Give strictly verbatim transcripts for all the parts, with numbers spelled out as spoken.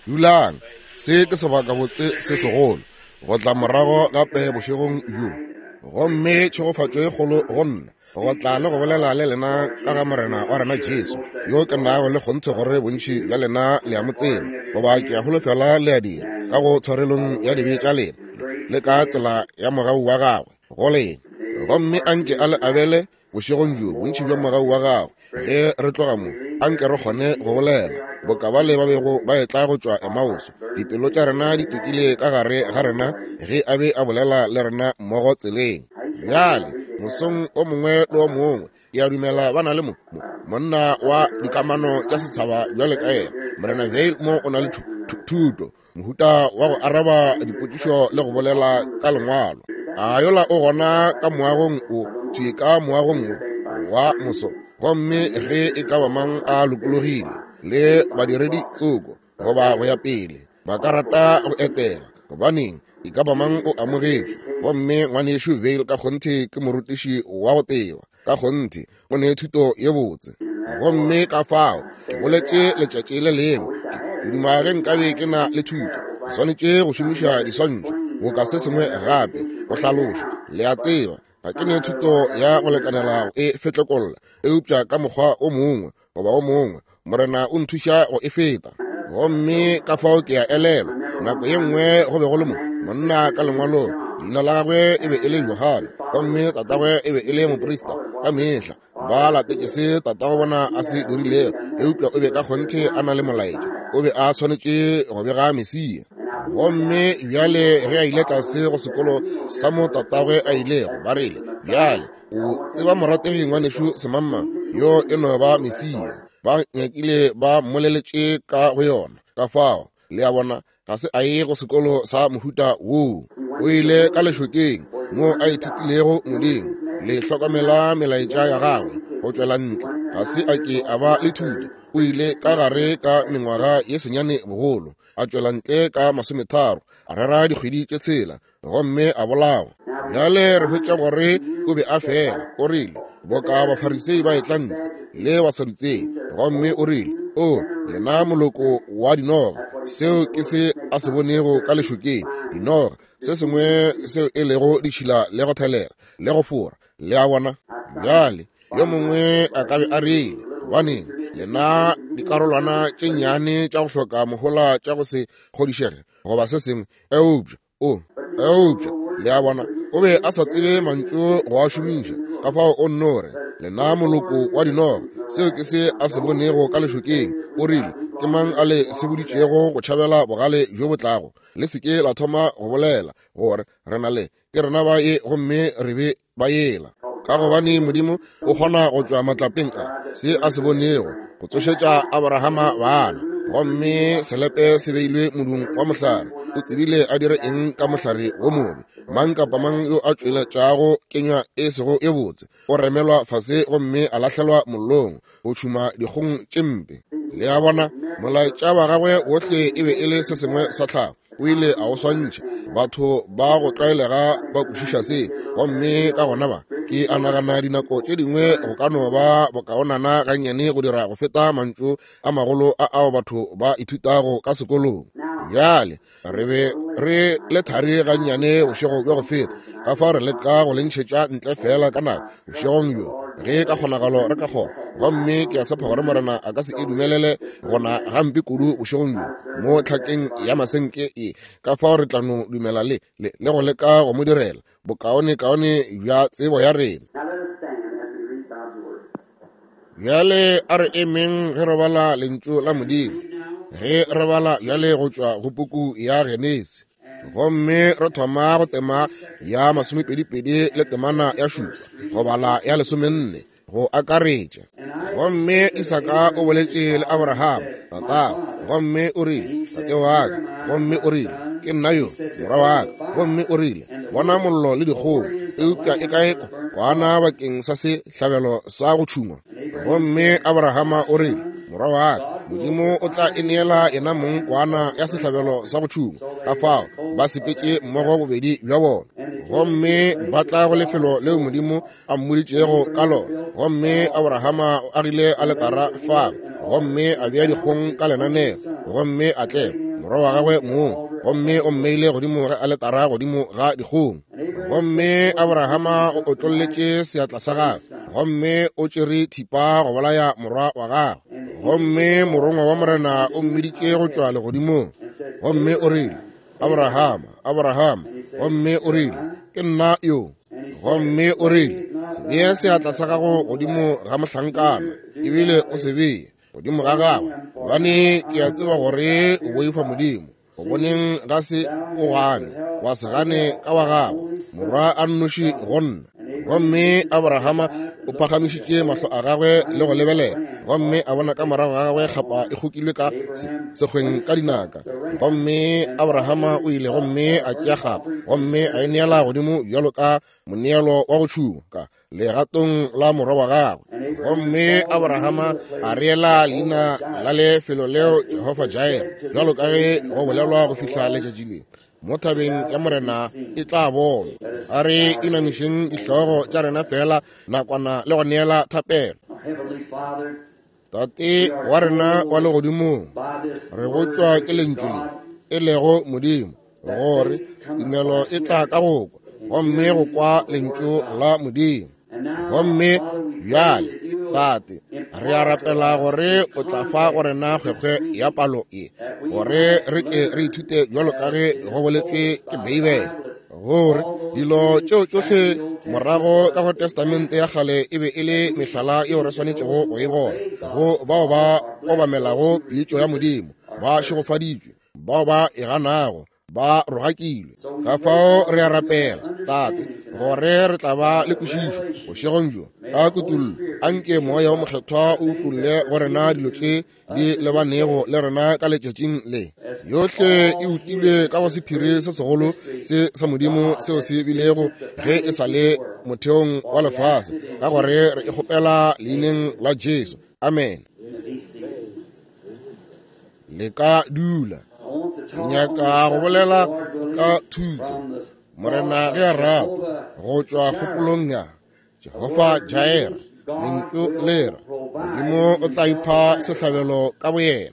Dulang, se ke sebakabotse se segolo go tla morago gape bošegong bjo. Gomme tšhegofatšo e kgolo go nna go tla le go bolela le lena ka ga Morena wa rena Jesu, yo ke nago le kgonthe gore bontši bja lena le a mo tseba, goba ke a holofela le a dira, ka go tshwarelong ya dibe tša lena le ka tsela ya mogau wa gagwe go lena. Gomme anke a le abele bošegong bjo bontši bja mogau wa gagwe. Ge re tloga mo, anke re kgone go bolela boka bale ba bego ba etla go tšwa Emauso, dipelo tša rena di tukile ka gare ga rena ge a be a bolela le rena mmogo tseleng. Bjale mosong o mongwe le o mongwe ke a dumela ba na le mo monna wa dikamano tša setšhaba bjale ka yena Morena Vail mo o na le thuto, mohuta wa go araba dipotšišo le go bolela ka lengwalo. A yola o gona ka moagong o thwi ka moagong o wa moso, gomme ge e ka ba mang a lokologile le badiredi tsoko goba go ya pele ba ka rata go etela, gobaneng e ka ba mang o amogetšwe. Gomme ngwanešu Vail ka kgonthe ke morutiši wa go teba, ka kgonthe o ne thuto ye botse. Gomme ka fao ke boletše letšatši le lengwe, ke duma ge nkabe ke na le thuto, ke swanetše go šomiša diswantšho boka se sengwe gape go hlaloša. Le a tseba ga ke ne thuto ya go lekanela go e fetlekolla, eupša ka mokgwa o mongwe goba o mongwe Morena o nthuša go e feta. Gomme ka fao ke a elelwa nako ye nngwe go be go le mo monna ka lengwalong, leina la gagwe e be e le Johane, gomme tatagwe e be e le moprista. Ka mehla ba latetše se tatago bona a se dirilego, eupša o be ka kgonthe a na le molaetša, o be a swanetše go bega Mesia. Gomme bjale ge a ile tlase go sekolo sa mo tatagwe a ilego, ba rile, bjale o tseba morategi ngwanešu semamma yo e no ba Mesia. Ba nyakile ba mmoleletše ka go yona. Ka fao le a bona ga se a ye go sekolo sa mohuta woo, o ile ka lešokeng mo a ithutilego Modimo le hlokomela melaetša ya gagwe go tšwela ntle. Ga se a ke a ba le thuto, o ile ka gare ka mengwaga ye senyane bogolo, a tšwela ntle ka masometharo, a rera dikgwedi tše tshela, gomme a bolawa. Bjale re hwetša gore o be a fela o rile boka Bafarisei ba etla ntle le Basadutsei, gomme o rile, o lena moloko wa dinoga. Seo ke se a se bonego ka lešokeng, dinoga, se sengwe seo e lego ditšhila le go thelela le go fora. Le a bona? Bjale yo mongwe a ka be a rile, gobaneng lena dikarolwana tše nnyane tša go hloka mohola tša go se kgodišege goba se sengwe, eupša o eupša le a bona o be a sa tsebe mantšu go a šomiša. Ka fao o nno re, lena moloko wa dinoga. Seo ke se a se bonego ka lešokeng. O rile, ke mang a le seboditšego go tšhabela bogale bjo bo tlago? Le se ke la thoma go bolela gore re na le ke rena ba ye, gomme re be ba yela. Ka gobane Modimo o kgona go tšwa matlapeng a se a se bonego go tsošetša Abrahama bana. Gomme selepe se beilwe modung wa mohlare, o tsebile a dire eng ka mohlare wo mobe. Mang kapa mang yo a tšweletšago kenywa e sego e botse o remelwa fase gomme a lahlelwa mollong go tšhuma dikgong tše mpe. Le a bona, molaetša wa gagwe wohle e be e le se sengwe sa tlhago, o ile a o swantšha. Batho ba go tlwaelega ba kwešiša se, gomme ka gona ba ke a nagana dinako tše dingwe go ka no ba bokaonana gannyane go dira go feta mantšu a magolo a ao batho ba ithutago ka sekolong. Bjale re be re le thari gannyane bošego bja go feta, ka fao re leka go le ntšhetša ntle fela ka nako bošegong bjo ge ka kgonagalo re ka kgona. Gomme ke a tshepa gore Morena a ka se e dumelele gona gampe kudu bošegong bjo mo tlhakeng ya masenke e. Ka fao re tla no dumela le le le go leka go mo direla bokaonekaone bja tsebo ya rena. Bjale a re emeng ge re bala lentšu la Modimo, ge re bala bjale go tšwa go puku ya Genesi, gomme re thoma go tema ya masomepedipedi le temana ya šupa go bala ya lesomenne go akaretša. Gomme Isaka o boletše le Abraham tatago, gomme o rile, tate wa ka. Gomme o rile, ke nna yo morwa wa ka. Gomme o rile, bona mollo le dikgong, eupša e kae kwana bakeng sa sehlabelo sa go tšhungwa? Gomme Abrahama o rile, morwa wa ka, Modimo o tla e neela yena mong kwana ya sehlabelo sa go tšhungwa. Ka fao ba sepetše mmogo bobedi bja bona, gomme ba tla go lefelo leo Modimo a mmoditšego ka lona. Gomme Abrahama o agile aletara fa, gomme a bea dikgong ka lenaneo, gomme a tlema. morwa wa gagwe mong, gomme o mmeile godimo ga aletara godimo ga dikgong. Gomme Abrahama o otlolletše seatla sa gagwe, gomme o tšere thipa go bolaya morwa wa gagwe. Gomme morongwa wa Morena o mmiditše go tšwa legodimong, gomme o rile, Abrahama, Abrahama. Gomme o rile, ke nna yo. Gomme o rile, se bee seatla sa gago godimo ga mohlankana, ebile o se bee godimo ga gagwe, gobane ke a tseba gore o boifa Modimo. Go boneng ga se o gane, wa se gane ka wa gago, morwa a nnoši go nna. Gomme Abrahama o phagamišitše mahlo a gagwe le go lebelela, gomme a bona ka morago ga gagwe kgapa e kgokilwe ka sekgweng ka dinaka. Gomme Abrahama o ile gomme a tšea kgapa, gomme a e neela godimo bjalo ka moneelo wa go tšhuma ka legatong la morwa wa gagwe. Gomme Abrahama a reela leina la lefelo leo Jehofa Jireh, bjalo ka ge go bolelwa go fihla letšatši le, mo thabeng ya Morena e tla bonwa. A re inamišeng dihlogo tša rena fela nakwana le go neela thapelo. Tate wa rena wa legodimong, re botšwa ke lentšu le e lego Modimo, gore tumelo e tla ka go kwa, gomme go kwa lentšu la Modimo. Gomme bjale, Tate, re a rapela gore o tla fa go rena kgwekgwe ya palo ye, gore re ke re ithute bjalo ka ge go boletšwe ke Beibele, gore dilo tšeo tšohle morago ka go Testamente ya kgale e be e le mehlala yeo re swanetšego go e bona. Go bao ba obamelago pitšo ya Modimo ba šegofaditšwe, bao ba e ganago ba rogakilwe. Ka fao re a rapela, Tate, gore re tla ba le kwešišo bošegong bjo ka kutollo. Anke Moya wo Mokgethwa o utolle go rena dilo tše di lebanego le rena ka letšatšing le. Yohle e utilwe ka go sephiri se segolo se sa Modimo seo se bilego ge e sa le motheong wa lefase, ka gore re e kgopela leineng la Jesu. Amen. Le ka dula. Nyaka go bolela ka thuto, Morena ge a rata, go tšwa kgopolong ya Jehofa Jireh, lentšu le re Modimo o tla ipha sehlabelo ka boyena.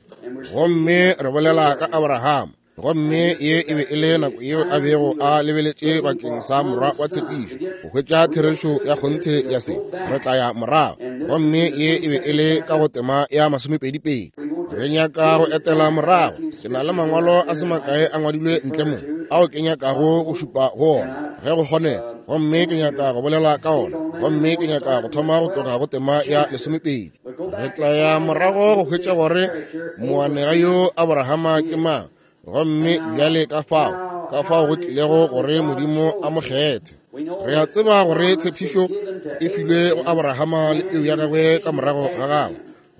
Gomme re bolela ka Abrahama, gomme ye e be e le nako yeo a bego a lebeletše bakeng sa morwa wa tshepišo go hwetša therešo ya kgonthe ya se. Re tla ya morago, gomme ye e be e le ka go tema ya masomepedi-pedi. Re nyaka go etela morago. Ke na le mangwalo a se makae a ngwadilwe ntle mo ao ke nyakago go šupa go ona ge go kgonega, gomme ke nyaka go bolela ka ona, gomme ke nyaka go thoma go tloga go tema ya lesomepedi. Re tla ya morago go hwetša gore moanega yo Abrahama ke mang, gomme bjale ka fao ka fao go tlilego gore Modimo a mo kgethe. Re a tseba gore tshepišo e filwe go Abrahama le peu ya gagwe ka morago ga gagwe,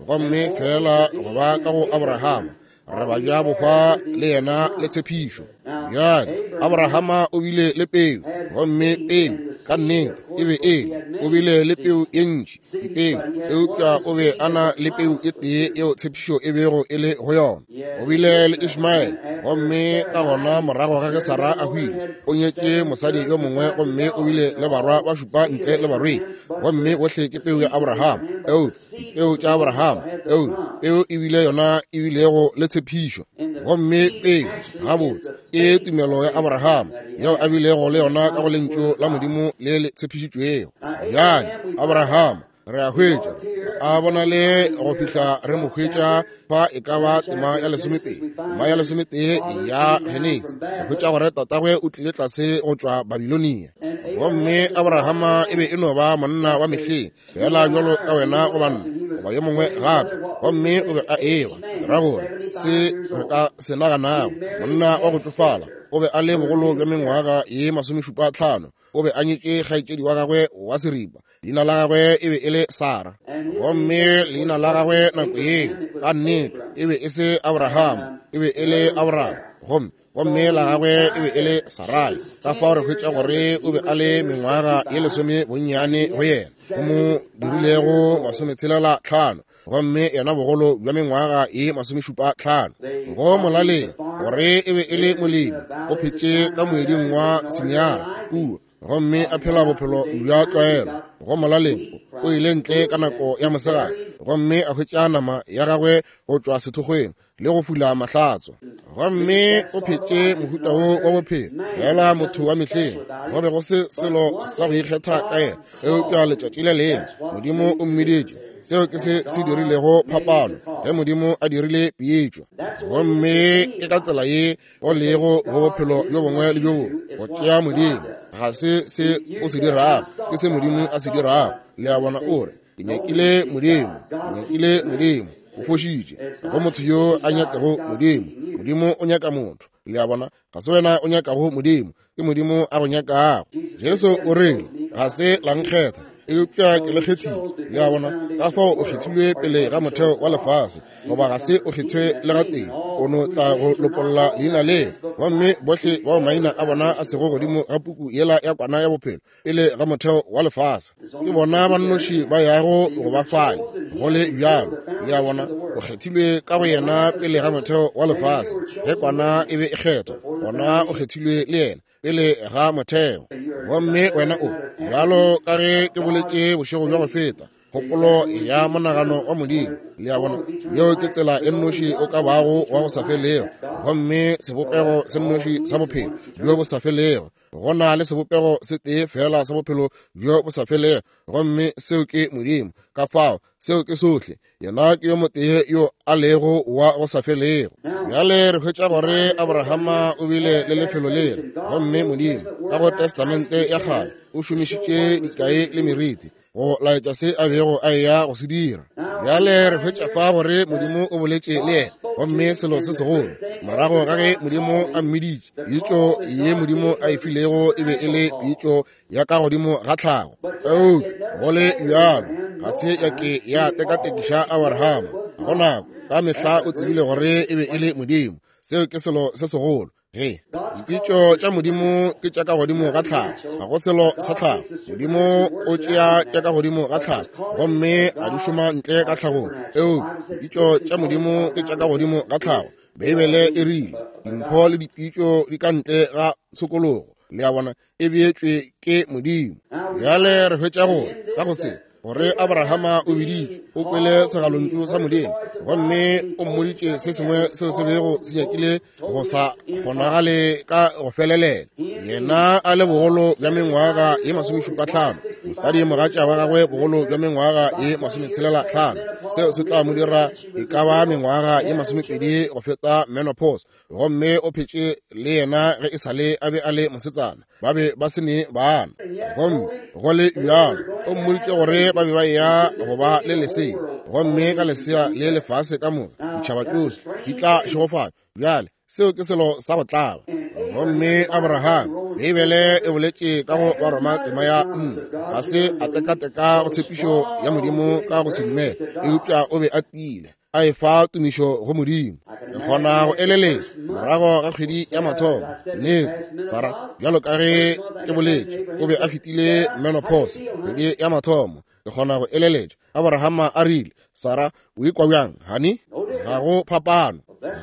gomme fela go ba ka go Abrahama re ba ja bohwa le yena le tshepišo. Bjale Abrahama o bile le peu, gomme peu ka nnete e be e o bile le peu ye ntši dipeu, eupša o be a na le peu e tee yeo tshepišo e bego e le go yona. O bile le Ishmael, gomme ka gona morago ga ge Sara a hwile, o nyetše mosadi yo mongwe, gomme o bile le barwa ba šupa ntle le barwedi, gomme bohle ke peu ya Abrahama. Eupša dipeu tša Abrahama, eupša peu e bile yona e bilego le tshepišo, gomme peu gabotse ke tumelo ya Abrahama yeo a bilego le yona ka go lentšu la Modimo le le tshepišitšwego. Bjale Abrahama re a hwetša a bona le go fihla re mo hwetša fa e ka ba tema ya lesomepedi, tema ya lesometee ya Genesi, re hwetša gore tatagwe o tlile tlase go tšwa Babilonia. Gomme Abrahama e be e no ba monna wa mehleng fela bjalo ka wena goba nna goba yo mongwe gape, gomme o be a ewa ra gore se re ka se naganago, monna wa go tsofala, o be a le bogolo bja mengwaga ye masomešupa tlhano. O be a nyetše kgaetšedi wa gagwe wa seripa, leina la gagwe e be e le Sara, gomme leina la gagwe nako yeo ka nnete e be e se Abrahama, e be e le Abraham, gomme gomme la gagwe e be e le Sarai. Ka fao re hwetša gore o be a le mengwaga ye lesome bonnyane go yena, go mo dirilego masometshelela tlhano, gomme yena bogolo bja mengwaga ye masomešupa tlhano. Go molaleng gore e be e le molemi, o phetše ka moeding wa Sinyara kua, gomme a phela bophelo bja tlwaelo. Go molaleng o ile ntle ka nako ya mosegare gomme a hwetša nama ya gagwe go tšwa sethokgweng le go fula mahlatso. Gomme o phetše mohuta wo wa bophelo fela motho wa mehleng. Go be go se selo sa go ikgetha ka yena, eupša letšatši le lengwe Modimo o mmiditše. Seo ke se se dirilego phapano ge Modimo a dirile pitšo. Gomme ke ka tsela ye go lego go bophelo bjo bongwe le bjo bongwe go tšea Modimo. Ga se se o se dirago, ke se Modimo a se dirago. Le a bona, o re ke nyakile Modimo, ke nyakile Modimo. O fošitše. Go motho yo a nyakago Modimo, Modimo o nyaka motho. Le a bona, ga se wena o nyakago Modimo, ke Modimo a go nyakago. Jesu o rile ga se la nkgetha, eupša ke le kgethile. Le a bona, ka fao o kgethilwe pele ga motheo wa lefase, goba ga se o kgethwe le gatee. O no tla go lopolla leina leo, gomme bohle bao maina a bona a sego godimo ga puku yela ya kwana ya bophelo pele ga motheo wa lefase, ke bona ba nnoši ba yago go ba fale. Go le bjalo, le a bona, o kgethilwe ka go yena pele ga motheo wa lefase. Ge kwana e be e kgethwa, gona o kgethilwe le yena pele ga motheo. Gomme wena o bjalo ka ge ke boletše bošego bja go feta, kgopolo ya monagano wa Modimo. Le a bona, yeo ke tsela e nnoši o ka bago wa go sa felego, gomme sebopego se nnoši sa bophelo bjo bo sa felego. Go na le sebopego se tee fela sa bophelo bjo bo sa felego, gomme seo ke Modimo. Ka fao seo ke sohle. Yena ke yo motee yo a lego wa go sa felego. Bjale re hwetša gore Abrahama o bile le lefelo lela, gomme Modimo ka go Testamente ya kgale o šomišitše dikai le meriti go laetša se a bego a eya go se dira. Bjale re hwetša fa gore Modimo o boletše le yena, gomme selo se segolo morago ga ge Modimo a mmiditše, pitšo ye Modimo a e filego e be e le pitšo ya ka godimo ga tlhago. Eupša go le bjalo ga se ya ke ya tekatekiša Abrahama. Go nako ka mehla o tsebile gore e be e le Modimo. Seo ke selo se segolo. Ge dipitšo tša Modimo ke tša ka godimo ga tlhago, ga go selo sa tlhago. Modimo o tšea tša ka godimo ga tlhago gomme a di šoma ntle ka tlhagong. Eupša dipitšo tša Modimo ke tša ka godimo ga tlhago. Beibele e rile dimpho le dipitšo di ka ntle ga tshokologo. Le a bona, e beetšwe ke Modimo. Bjale re hwetša gore ka go se gore Abrahama o biditšwe, o kwele segalontšu sa Modimo, gomme o mmoditše se sengwe seo se bego se nyakile go sa kgonagale ka go felelela. Yena a le bogolo bja mengwaga ye masomešupa tlhano, mosadi mogatša wa gagwe bogolo bja mengwaga ye masometshelela tlhano. Seo se tla mo dira e ka ba mengwaga ye masomepedi go feta menopause, gomme o phetše le yena ge e sale a be a le mosetsana. Ba be ba se ne bana, gomme go le bjalo o mmoditše gore ba be ba eya go ba le lesea, gomme ka lesea le lefase ka moka ditšhaba tšohle di tla šegofatšwa. Bjale seo ke selo sa go tlaba. Gomme Abraham, Beibele e boletše ka go Baroma tema ya nne, ga se a tekateka go tshepišo ya Modimo ka go se dumele, eupša o be a tiile a efa tumišo go Modimo. Ke kgona go eleletša morago ga kgwedi ya mathomo, nnete Sara, bjalo ka ge ke boletše, o be a fetile menopause kgwedi ya mathomo. Ke kgona go eleletša Abrahama a rile, Sara, o ikwa bjang, honey? Ga go phapano.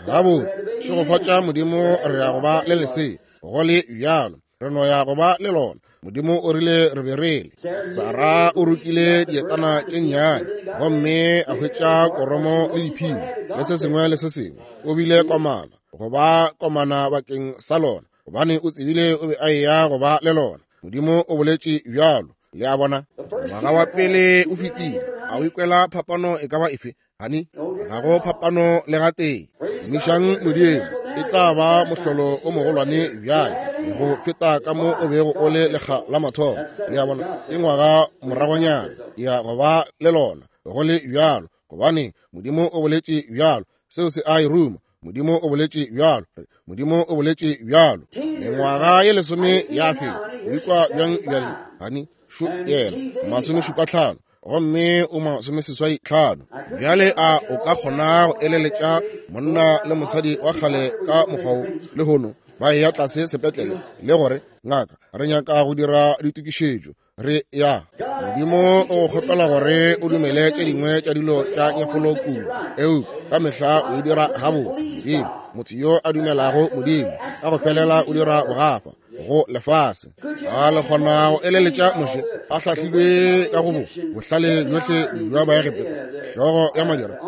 Gabotse, šegofatša Modimo, re ya go ba le lesea. Go le bjalo re no ya go ba le lona. Modimo o rile re be re le. Sara o rokile dietana tše nnyane gomme a hwetša koromo le diphimo le se sengwe le se sengwe. O bile komana go ba komana bakeng sa lona, gobane o tsebile o be a eya go ba le lona. Modimo o boletše bjalo. Le a bona, ngwaga wa pele o fetile. A o ikwela phapano e ka ba efe, honey? Ga go phapano le gatee. Tumišang Modimo, e tla ba mohlolo o mogolwane bjale go feta ka mo o bego o le lekga la mathomo. Le a bona, ke ngwaga moragonyana ya go ba le lona. Go le bjalo, gobane Modimo o boletše bjalo. Seo se a e ruma. Modimo o boletše bjalo. Modimo o boletše bjalo. Mengwaga ye lesome ya feta. O ikwa bjang bjale, honey? Šo yena, masomešupa tlhano, gomme o masomeseswai tlhano. Bjale a o ka kgona go eleletša monna le mosadi wa kgale ka mokgwa wo lehono ba eya tlase sepetlele le gore, ngaka, re nyaka go dira ditokišetšo, re ya. Modimo o go kgopela gore o dumele tše dingwe tša dilo tša nyefolo kudu, eupša ka mehla o e dira gabotse. Modimo, motho yo a dumelago Modimo ka go felela o dira bogafa. go lefase. A le kgona go eleletša Moshe a hlahlilwe ka go bo bohlale bjohle bja Baegepeta, hlogo ya madira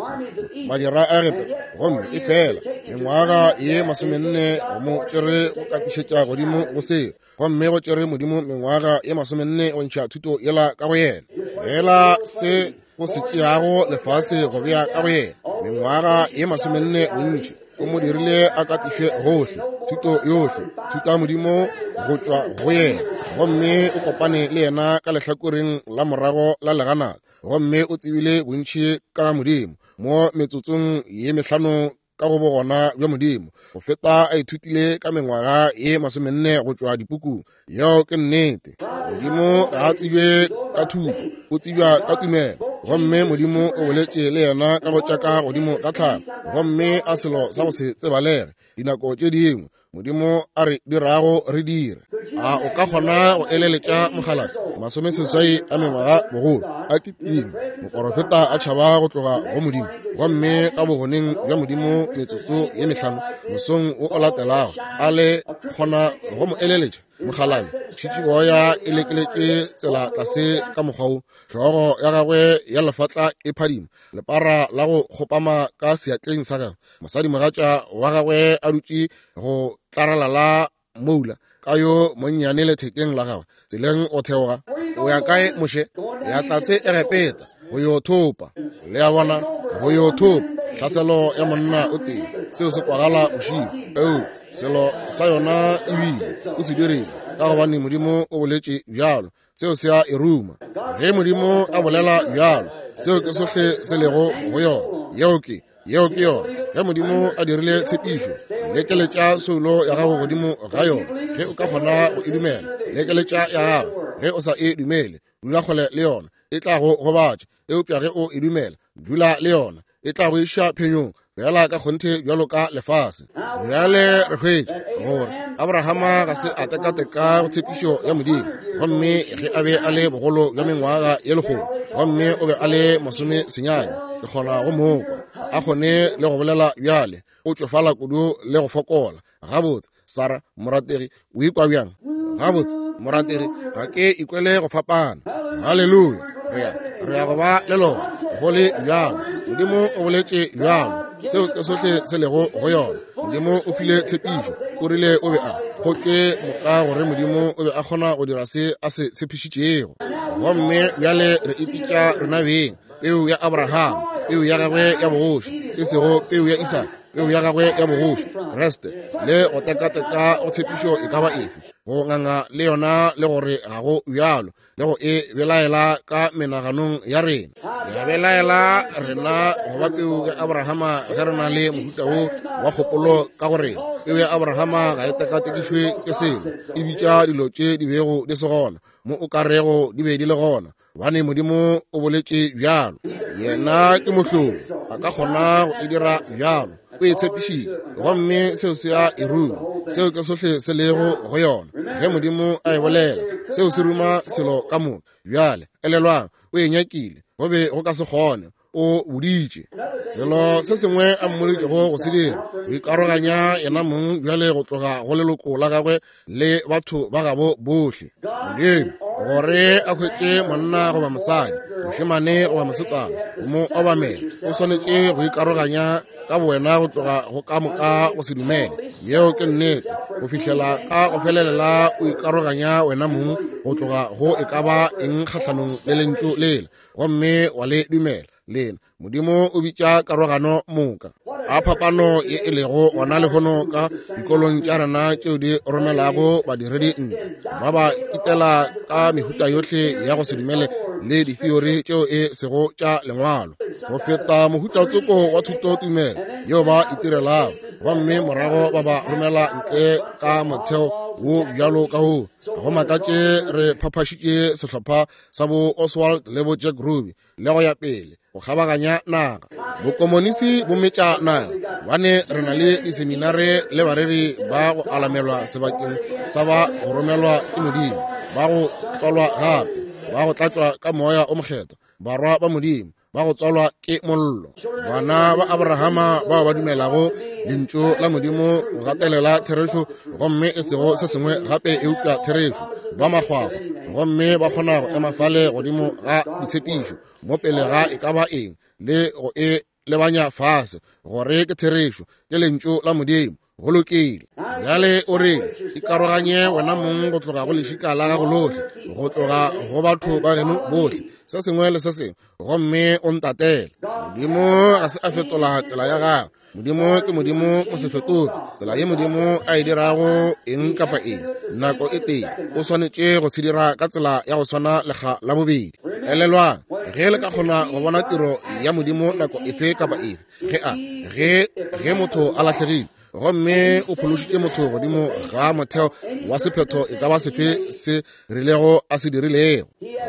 madira a Egepeta, gomme e fela mengwaga ye masomenne go mo tšere go katišetša godimo go seo, gomme go tšere Modimo mengwaga ye masomenne go ntšha thuto yela ka go yena, fela se go se tšeago lefase go bea ka go yena mengwaga ye masomenne bontši o mo dirile a katišwe gohle, thuto yohle, thuto ya Modimo go tšwa go yena, gomme o kopane le yena ka lehlakoreng la morago la leganata, gomme o tsebile bontši ka Modimo mo metsotsong ye mehlano ka go bogona bja Modimo go feta a ithutile ka mengwaga ye masomenne go tšwa dipukung. Yeo ke nnete. Modimo ga a tsebje ka thuto, o tsebja ka tumelo, gomme Modimo o boletše le yena ka go tšaka godimo ga tlhalo, gomme a selo sa go se tsebalege dinako tše dingwe Modimo a re dirago re dire. A o ka kgona go eleletša mogala masomeseswai a mengwaga bogolo a kitima moporofeta a tšhaba go tloga go Modimo, gomme ka bogoneng bja Modimo metsotso ye mehlano mosong wo o latelago a le kgona go mo eleletša mogalane tšhitšiboya e lekeletše tsela tlase ka mokgwa wo, hlogo ya gagwe ya lefatla e phadima, lepara la go kgopama ka seatleng sa gagwe, mosadimogatša wa gagwe a dutše go tlaralala moula ka yo monnyane lethekeng la gagwe tseleng o theoga. O ya kae Moshe? Ya tlase Egepeta go yo thopa. Le a bona, go yo thopa tlhaselo ya monna o tee. Seo se kwagala bošilo, eo selo sa yona ebile o se dirile ka gobane Modimo o boletše bjalo. Seo se a e ruma. Ge Modimo a bolela bjalo, seo ke sohle se lego go yona. Yeo ke yeo ke yona. Ge Modimo a dirile tshepišo, lekeletša soulo ya gago godimo ga yona. Ge o ka kgona go e dumela, lekeletša ya gago. Ge o sa e dumele, dula kgole le yona, e tla go gobatša. Eupša ge o e dumela, dula le yona, e tla go iša phenyong bjala ka kgonthe bjalo ka lefase. Bjale re hwetša gore Abrahama ga se a tekateka go tshepišo ya Modimo, gomme ge a be a le bogolo bja mengwaga ye lekgolo, gomme o be a le masome senyane, ke kgona go mokwa a kgone le go bolela bjale, o tšofala kudu le go fokola. Gabotse Sara morategi, o ikwa bjang? Gabotse morategi, ga ke ikwele go fapana. Haleluya, re ya re ya go ba le lona go le bjalo. Modimo o boletše bjalo, seo ke sohle se lego go yona. Modimo o file tshepišo, o rile o be a kgotšwe moka gore Modimo o be a kgona go dira se a se tshepišitšego. Gomme bjale re ipitša rena beng peu ya Abraham, peu ya gagwe ya bogoši, e sego peu ya Isaka, peu ya gagwe ya bogoši, Kriste, le go tekateka go tshepišo e ka ba efe, go nganga le yona le gore ga go bjalo, le go e belaela ka menaganong ya rena. Re belaela rena go ba peu ya Abrahama ge re na le mohuta wo wa kgopolo ka gore peu ya Abrahama ga e tekatekišwe ke selo, e bitša dilo tše di bego di se gona mo o ka rego di be di le gona, gobane Modimo o boletše bjalo. Yena ke mohlolo, a ka kgona go e dira bjalo, o e tshepišitše, gomme seo se a e ruma. Seo ke sohle se lego go yona. Ge Modimo a e bolela, seo se ruma selo ka moka. Bjale elelwang, o e nyakile, go be go ka se kgone, o boditše selo se sengwe a mmoditšego go se dira, go ikaroganya yena mong bjale go tloga go leloko la gagwe le batho ba gabo bohle. Modimo gore a hwetše monna goba mosadi, mošemane goba mosetsana, go mo obamela, o swanetše go ikaroganya ka bowena go tloga go ka moka go se dumele. Yeo ke nnete, go fihlela ka go felelela o ikaroganya wena mong go tloga go e ka ba eng kgahlanong le lentšu lela, gomme wa le dumela lena. Modimo o bitša karogano moka. A phapano ye e lego gona lehono ka dikolong tša rena tšeo di romelago badiredi ntle, ba ba kitela ka mehuta yohle ya go se dumele le ditheory tšeo e sego tša lengwalo, go feta mohuta tsoko wa thutotumelo yeo ba itirelago, gomme morago ba ba romela ntle ka motheo wo bjalo ka wo. Go makatše re phaphašitše sehlopha sa bo Oswald le bo Jack Ruby le go ya pele go kgabaganya naga. Bokomonisi bo metša naga, bane re na le diseminare le bareri ba go alamelwa sebakeng sa ba go romelwa ke Modimo, ba go tswalwa gape, ba go tlatšwa ka moya o mokgethwa, barwa ba Modimo, ba go tswalwa ke mollo. Bana ba Abrahama bao ba dumelago lentšu la Modimo go gatelela therešo, gomme e sego se sengwe gape eupša therešo, ba makgwakgwa, gomme ba kgona go ema fale godimo ga ditshepišo mo pele ga e ka ba eng le go e lebanya fase gore ke therešo, ke lentšu la Modimo. Go lokile. Bjale o rile, ikaroganye wena mong go tloga go lešika la gago lohle, go tloga go batho ba geno bohle, se sengwe le se sengwe, gomme o ntatele. Modimo ga se a fetola tsela ya gagwe. Modimo ke Modimo o se fetoge. Tsela ye Modimo a e dirago eng kapa eng nako e tee, o swanetše go se dira ka tsela ya go swana lekga la bobedi. Elelwang, ge le ka kgona go bona tiro ya Modimo nako efe kapa efe, ge a ge ge motho a lahlegile gomme o phološitše motho godimo ga motheo wa sephetho e ka ba sefe se rilego a se dirilego,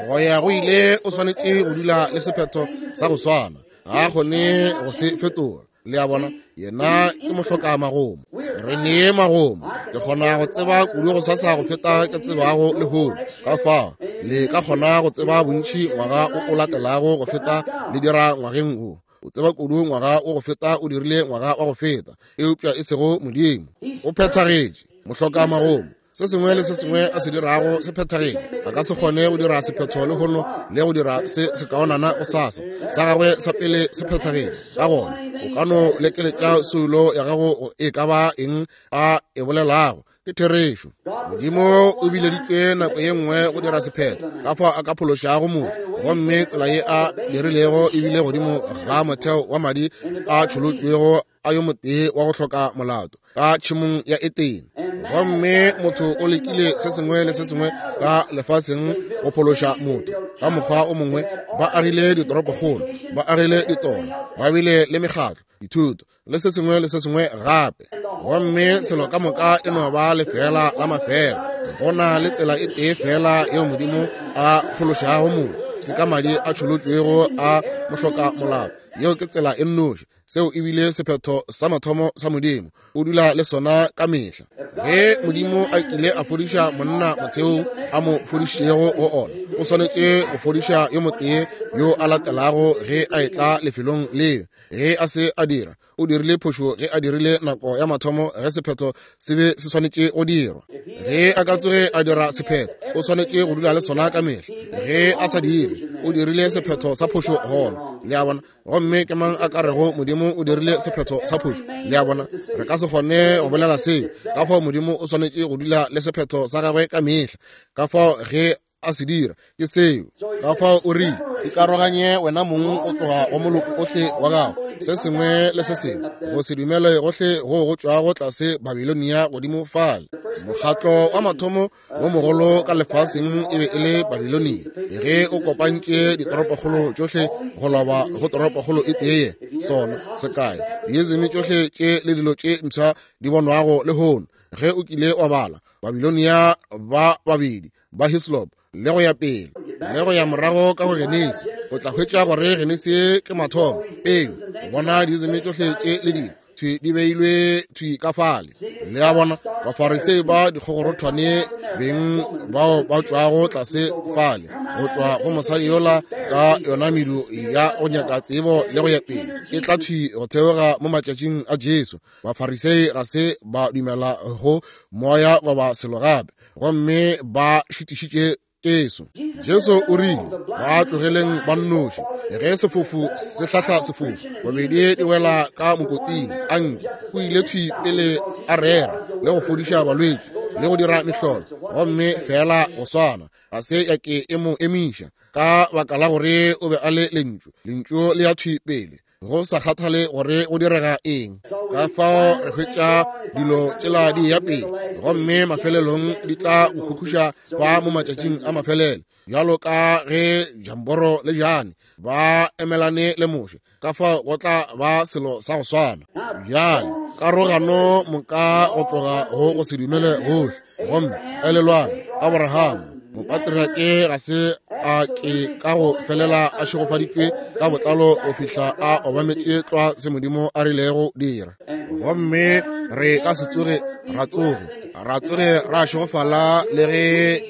go ya go ile o swanetše go dula le sephetho sa go swana, ga a kgone go se fetola. Le a bona, yena ke mohloka magomo. Re nee magomo. Ke kgona go tseba kudu go sasa go feta ke tsebago lehono. Ka fao le ka kgona go tseba bontši ngwaga o o latelago go feta le dira ngwageng wo. O tseba kudu ngwaga o go feta o dirile ngwaga wa go feta, eupša e sego Modimo. O phethagetše, mohloka magomo. Se sengwe le se sengwe a se dirago se phethagetše. A ka se kgone go dira sephetho lehono le go dira se sekaonana gosasa. Sa gagwe sa pele se phethagetše. Ka gona o ka no lekeletša soulo ya gago e ka ba eng a e bolelago, ke therešo. Modimo o bileditšwe nako ye nngwe go dira sephetho ka fao a ka phološago motho, gomme tsela ye a dirilego e bile godimo ga motheo wa madi a tšholotšwego a yo motee wa go hloka molato ka tšhemong ya Etene. Gomme motho o lekile se sengwe le se sengwe ka lefaseng go phološa motho ka mokgwa o mongwe. Ba agile ditoropokgolo, ba agile ditoro, ba bile le mekgatlo, dithuto le se sengwe le se sengwe gape, gomme selo ka moka e no ba lefela la mafela. Go na le tsela e tee fela yeo Modimo a phološago motho, ke ka madi a tšholotšwego a mohloka molato. Yeo ke tsela e nnoši. Seo e bile sephetho sa mathomo sa Modimo. O dula le sona ka mehla. Ge Modimo a kile a fodiša monna motheong a mo fodišitšego go ona, o swanetše go fodiša yo motee yo a latelago ge a etla lefelong leo. Ge a se a dira, o dirile phošo ge a dirile nako ya mathomo ge sephetho se be se swanetše go dirwa. Ge a ka tsoge a dira sephetho, o swanetše go dula le sona ka mehla. Ge a sa dire, o dirile sephetho sa phošo gona. Le a bona? Gomme ke mang a ka rego Modimo o dirile sephetho sa phošo? Le a bona? Re ka se kgone go bolela seo. Ka fao Modimo o swanetše go dula le sephetho sa gagwe ka mehla. Ka fao ge a se dira, ke seo. Ka fao o rile, ikaroganye wena mong o tloga go moloko ohle wa gago, se sengwe le se sengwe, go se dumele gohle go go tšwago tlase Babilonia godimo fale. Mokgatlo wa mathomo wo mogolo ka lefaseng e be e le Babilonia, ge o kopantše ditoropokgolo tšohle go loba go toropokgolo e tee. Sona sekae diezeme tšohle tše le dilo tše mpsha di bonwago lehono. Ge o kile wa bala Babilonia ba babedi ba Hislop le go ya pele le go ya morago ka go Genesi, o tla hwetša gore Genesi ke mathomo. Ee, o bona diezeme tšohle tše le dilo thwi di beilwe thwi ka fale. Le a bona, Bafarisei ba dikgogorothwane beng bao ba tšwago tlase fale go tšwa go mosadi yola ka yona medu ya go nyaka tsebo le go ya pele, e tla thwi go theoga mo matšatšing a Jesu. Bafarisei ga se ba dumela go moya goba selo gape, gomme ba šitišitše Jesu. Jesu o rile, ba tlogeleng ba nnoši. Ge sefofu se hlahla sefofu, bobedi di wela ka mokoting. Anke o ile thwi pele a rera le go fodiša balwetši le go dira mehlolo, gomme fela go swana ga se ya ke e mo emiša, ka baka la gore o be a le lentšu. Lentšu le ya thwi pele, go sa kgathale gore go direga eng. Ka fao re hwetša dilo tšela di ya pele, gomme mafelelong di tla go khukhuša fa mo matšatšing a mafelelo, bjalo ka ge Jamboro le Jane ba emelane le Moshe. Ka fao go tla ba selo sa go swana. Bjale karogano moka go tloga go go se dumele gohle. Gomme elelwang, Abraham mopatriarke ga se a ke ka go felela a šegofaditšwe ka botlalo go fihla a obametše tlwa se Modimo a rilego dira. Gomme re ka se tsoge ra tsoge ra tsoge ra šegofala le ge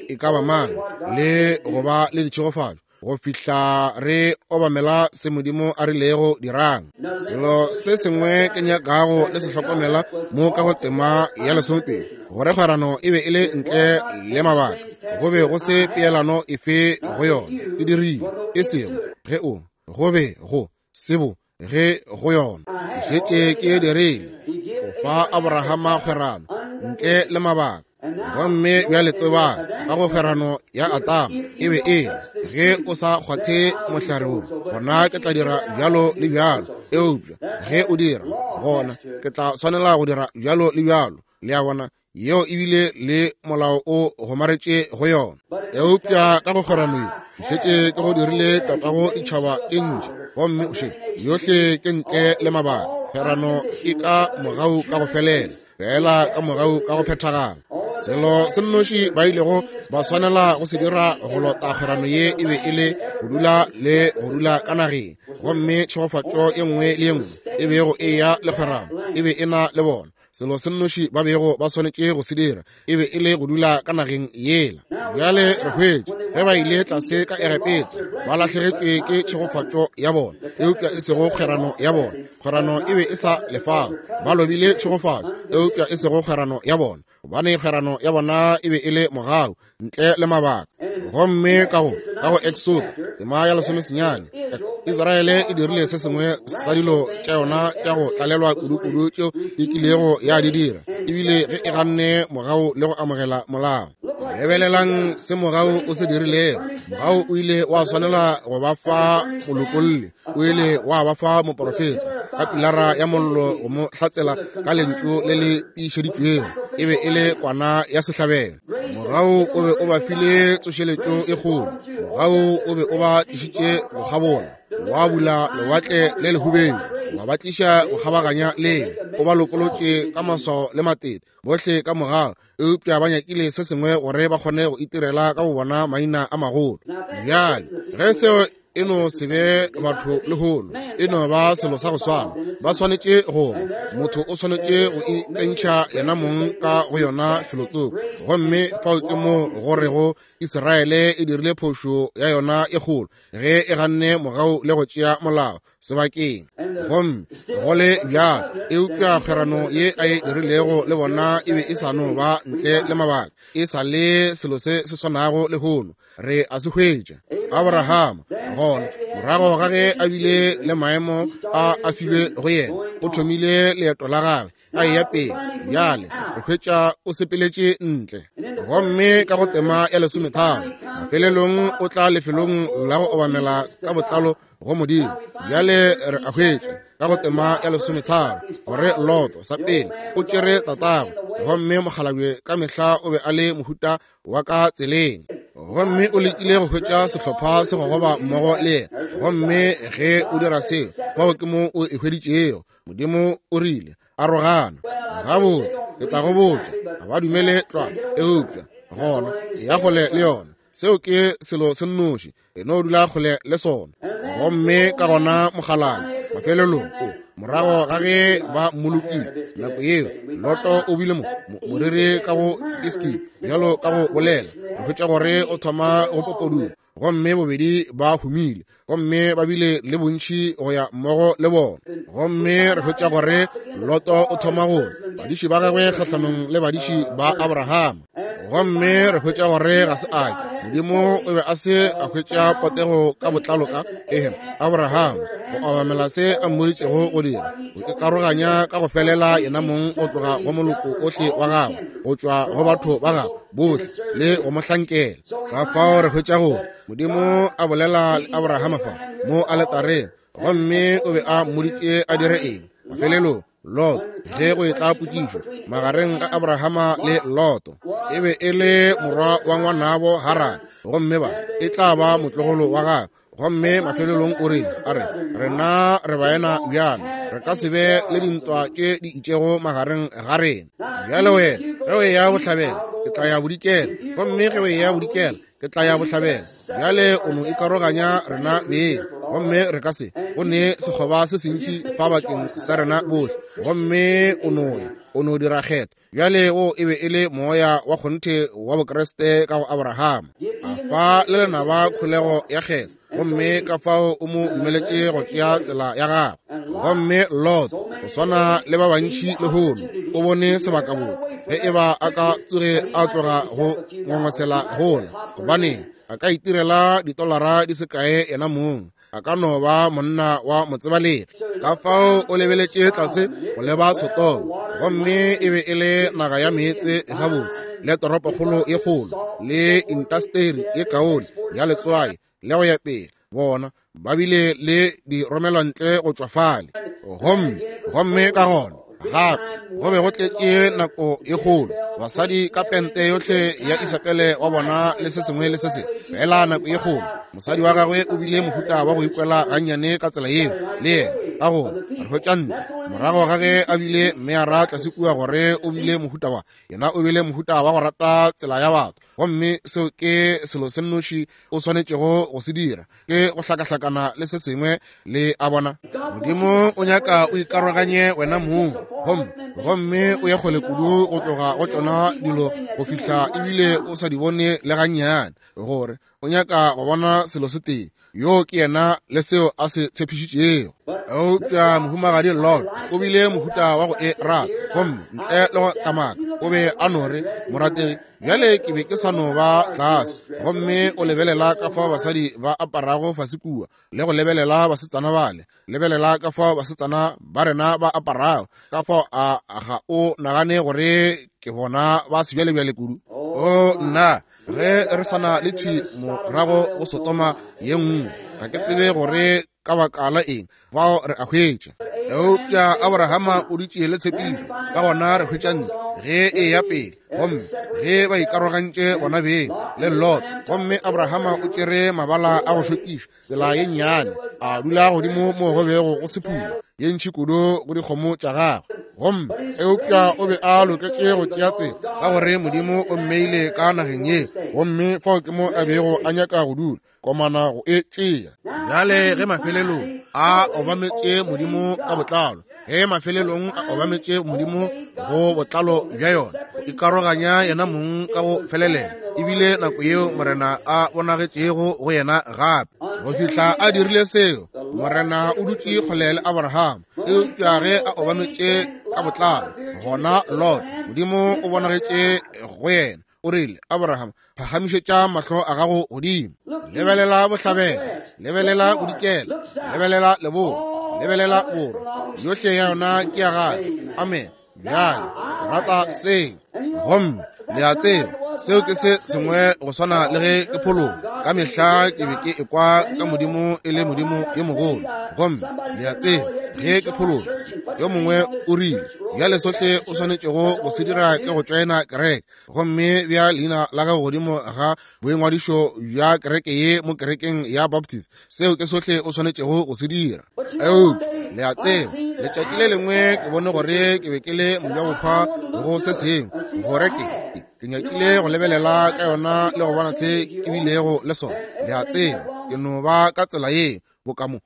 e ka ba mang le go ba le ditšhegofatšo go fihla re obamela se Modimo a rilego dirang. Selo se sengwe ke nyakago le se hlokomela mo ka go tema ya lesomepedi, gore kgwerano e be e le ntle le mabaka, go be go se peelano efe go yona. Ke dirile e sego ge o go be go sebo ge go yona. Ke šetše ke dirile go fa Abrahama kgwerano ntle le mabaka. Gomme bjale tsebang ka go kgwerano ya Atama e be e le ge o sa kgwathe mohlare wo, gona ke tla dira bjalo le bjalo, eupša ge o dira, gona ke tla swanela go dira bjalo le bjalo. Le a bona, yeo ebile le molao o gomaretše go yona. Eupša ka go kgwerano ye ke šetše ke go dirile tatago ditšhaba tše ntši, gomme o še yohle ke ntle le mabaka. Kgwerano e ka mogau ka go felela, fela ka mogau ka go phethagala. Selo se nnoši ba ilego ba swanela go se dira go lota kgwerano ye e be e le go dula le go dula ka nageng, gomme tšhegofatšo ye nngwe le ye nngwe e bego e ya le kgwerano e be e na le bona. Selo se nnoši ba bego ba swanetše go se dira e be e le go dula ka nageng yela. Bjale re hwetše ge ba ile tlase ka Egepeta ba lahlegetšwe ke tšhegofatšo ya bona, eupša e sego kgwerano ya bona. Kgwerano e be e sa lefao, ba lobile tšhegofatšo, eupša e sego kgwerano ya bona, gobane kgwerano ya bona e be e le mogau ntle le mabaka. Gomme ka go ka go Exodo tema ya lesomesenyane, Israele e dirile se sengwe sa dilo tša yona tša go tlalelwa kudu-kudu tšeo e kilego ya di dira, ebile ge e ganne mogau le go amogela molao. Lebelelang se mogau o se dirilego. Mogau o ile wa swanela go ba fa molokolli, o ile wa ba fa moporofeta ka pilara ya mollo go mo hlatsela ka lentšu le le tiišeditšwego, e be e le kwana ya sehlabelo. Mogau o be o ba file tsošeletšo e kgolo. Mogau o be o ba tlišitše go kgabola, wa bula lewatle le lehubedu, wa ba tliša go kgabaganya lele, o ba lokolotše ka maswao le matete bohle ka mogau, eupša ba nyakile se sengwe gore ba kgone go itirela ka go bona maina a magolo. Bjale ge seo e no se be batho lehono, e no ba selo sa go swana. Ba swanetše go motho o swanetše go itsentšha yena mong ka go yona felotsoko, gomme fao ke mo go rego Israele e dirile phošo ya yona e kgolo ge e ganne mogau le go tšea molao sebakeng. Gomme go le bjalo, eupša kgwerano ye a e dirilego le bona e be e sa no ba ntle le mabaka, e sa le selo se se swanago lehono. Re a se hwetša. Abrahama gona morago ga ge a bile le maemo a a filwe go yena, o thomile leeto la gagwe a eya pele. Bjale re hwetša o sepeletše ntle, gomme ka go tema ya lesometharo mafelelong o tla lefelong la go obamela ka botlalo go Modimo. Bjale re a hwetša ka go tema ya lesometharo gore Loto sa pele o tšere tatagwe, gomme mokgalabje ka mehla o be a le mohuta wa ka tseleng, gomme o lekile go hwetša sehlopha se gogoba mmogo le yena. Gomme ge o dira seo, fao ke mo o e hweditšego. Modimo o rile arogana. Gabotse, ke tla go botša, ga ba dumele tlwa, eupša gona ya kgole le yona. Seo ke selo se nnoši, e no dula kgole le sona. Gomme ka gona mokgalabje mafelelong o morago ga ge ba mmolokile nako yeo, Loto o bile mo moriri ka go iskip bjalo ka go bolela, re hwetša gore o thoma go popoduma, gomme bobedi ba humile, gomme ba bile le bontši go ya mmogo le bona. Gomme re hwetša gore Loto o thoma go badiši ba gagwe kgahlanong le badiši ba Abrahama, gomme re hwetša gore ga se ake Modimo o be a se a hwetša potego ka botlalo ka ehem Abrahama go obamela se a mmoditšego go dira, go ikaroganya ka go felela yena mong go tloga go moloko ohle wa gagwe, go tšwa go batho ba gagwe bohle le go mo hlankela. Ka fao re hwetša gore Modimo a bolela le Abrahama fa mo aletareng, gomme o be a mmoditše a dire eng. Mafelelong Lot, ge go etla potšišo magareng ga Abrahama le Loto, e be e le morwa wa ngwanabo Harane, gomme ba e tla ba motlogolo wa gagwe. Gomme mafelelong o rile, a re, rena re baena bjale, re ka se be le dintwa tše di itšego magareng ga rena. Bjale wena ge o eya bohlabela, ke tla ya bodikela, gomme ge o eya bodikela, ke tla ya bohlabela. Bjale o no ikaroganya rena beng, gomme re ka se go ne sekgoba se sentši fa bakeng sa rena bohle. Gomme o no ya, o no dira kgetho. Bjale wo e be e le moya wa kgonthe wa Bokriste ka go Abrahama. A fa le lenaba kholego ya kgetho, gomme ka fao o mo dumeletše go tšea tsela ya gagwe. Gomme Lot, go swana le ba bantši lehono, o bone sebakabotse ge e ba a ka tsoge a tloga go ngongosela gola, gobane a ka itirela ditolara di se kae yena mong, a ka no ba monna wa motsebalegi. Ka fao o lebeletše tlase go leba Sodoma, gomme e be e le naga ya meetse gabotse, le toropokgolo ye kgolo, le intasteri ye kaone ya letswai le go ya pele. Bona ba bile le di romelwantle go tšwa fale. Gomme gomme ka gona gape go be go tletše nako ye kgolo, basadi ka pente yohle ya Isabele wa bona le se sengwe le se sengwe, fela nako ye kgolo. Mosadi wa gagwe o bile mohuta wa go ikwela gannyane ka tsela yeo le yena, ka gore re hwetša ntwa morago ga ge a bile mmeara tlase kua gore o bile mohuta wa yena, o bile mohuta wa go rata tsela ya batho. Gomme seo ke selo se nnoši o swanetšego go se dira, ke go hlakahlakana le se sengwe le a bona. Modimo o nyaka o ikaroganye wena mong, gomme gomme o ye kgole kudu go tloga go tšona dilo go fihla ebile o sa di bone le gannyane, gore o nyaka go bona selo se tee, yo ke yena le seo a se tshepišitšego. Eupša mohumagadi Lot o bile mohuta wa go e rata, gomme ntle le go kamaka o be a no re, morategi, bjale ke be ke sa no ba tlase. Gomme o lebelela ka fao basadi ba aparago fase kua, le go lebelela basetsana bale, lebelela ka fao basetsana ba rena ba aparago, ka fao a ga o nagane gore ke bona ba sebjalebjale kudu? O nna, ge re sana le thwi morago go Sodoma ye nngwe, ga ke tsebe gore ka baka la eng bao re a hwetša. Eupša Abrahama o dutše le tshepišo, ka gona re hwetša ntlo ge e ya pele. Gomme ge ba ikarogantše bona beng le Lot, gomme Abrahama o tšere mabala a go šokiša tsela ye nnyane, a dula godimo mo go bego go se pula ye ntši kudu go dikgomo tša gagwe. Gomme eupša o be a loketše go tšea tsela, ka gore Modimo o mmeile ka nageng ye, gomme fao ke mo a bego a nyaka go dula, komana go e tšea. Bjale ge mafelelong a obametše Modimo ka botlalo, ge mafelelong a obametše Modimo go botlalo bja yona, ikaroganya yena mong ka go felelela, ebile nako yeo Morena a bonagetšego go yena gape. Go fihla a dirile seo, Morena o dutše kgole le Abraham. Eupša ge a obametše ka botlalo, gona Lot, Modimo o bonagetše go yena, o rile, Abraham, phagamišetša mahlo a gago godimo, lebelela bohlabela, lebelela bodikela, lebelela leboa, lebelela borwa, yohle ya yona ke ya gago. Amen. Bjale ke rata seo. Gomme le a tseba seo ke se sengwe go swana le ge ke phologa. Ka mehla ke be ke ekwa ka Modimo e le Modimo yo mogolo. Gomme le a tseba ge ke phologa, yo mongwe o rile, bjale sohle o swanetšego go se dira ke go tšoena kereke, gomme bja leina la gago godimo ga boingwadišo bja kereke ye mo kerekeng ya Baptist, seo ke sohle o swanetšego go se dira. Eupša le a tseba, letšatši le lengwe ke bone gore ke be ke le mojabohwa go se sengwe, gore ke ke nyakile go lebelela ka yona le go bona se ke bilego le sona. Le a tseba, ke no ba ka tsela ye, boka mo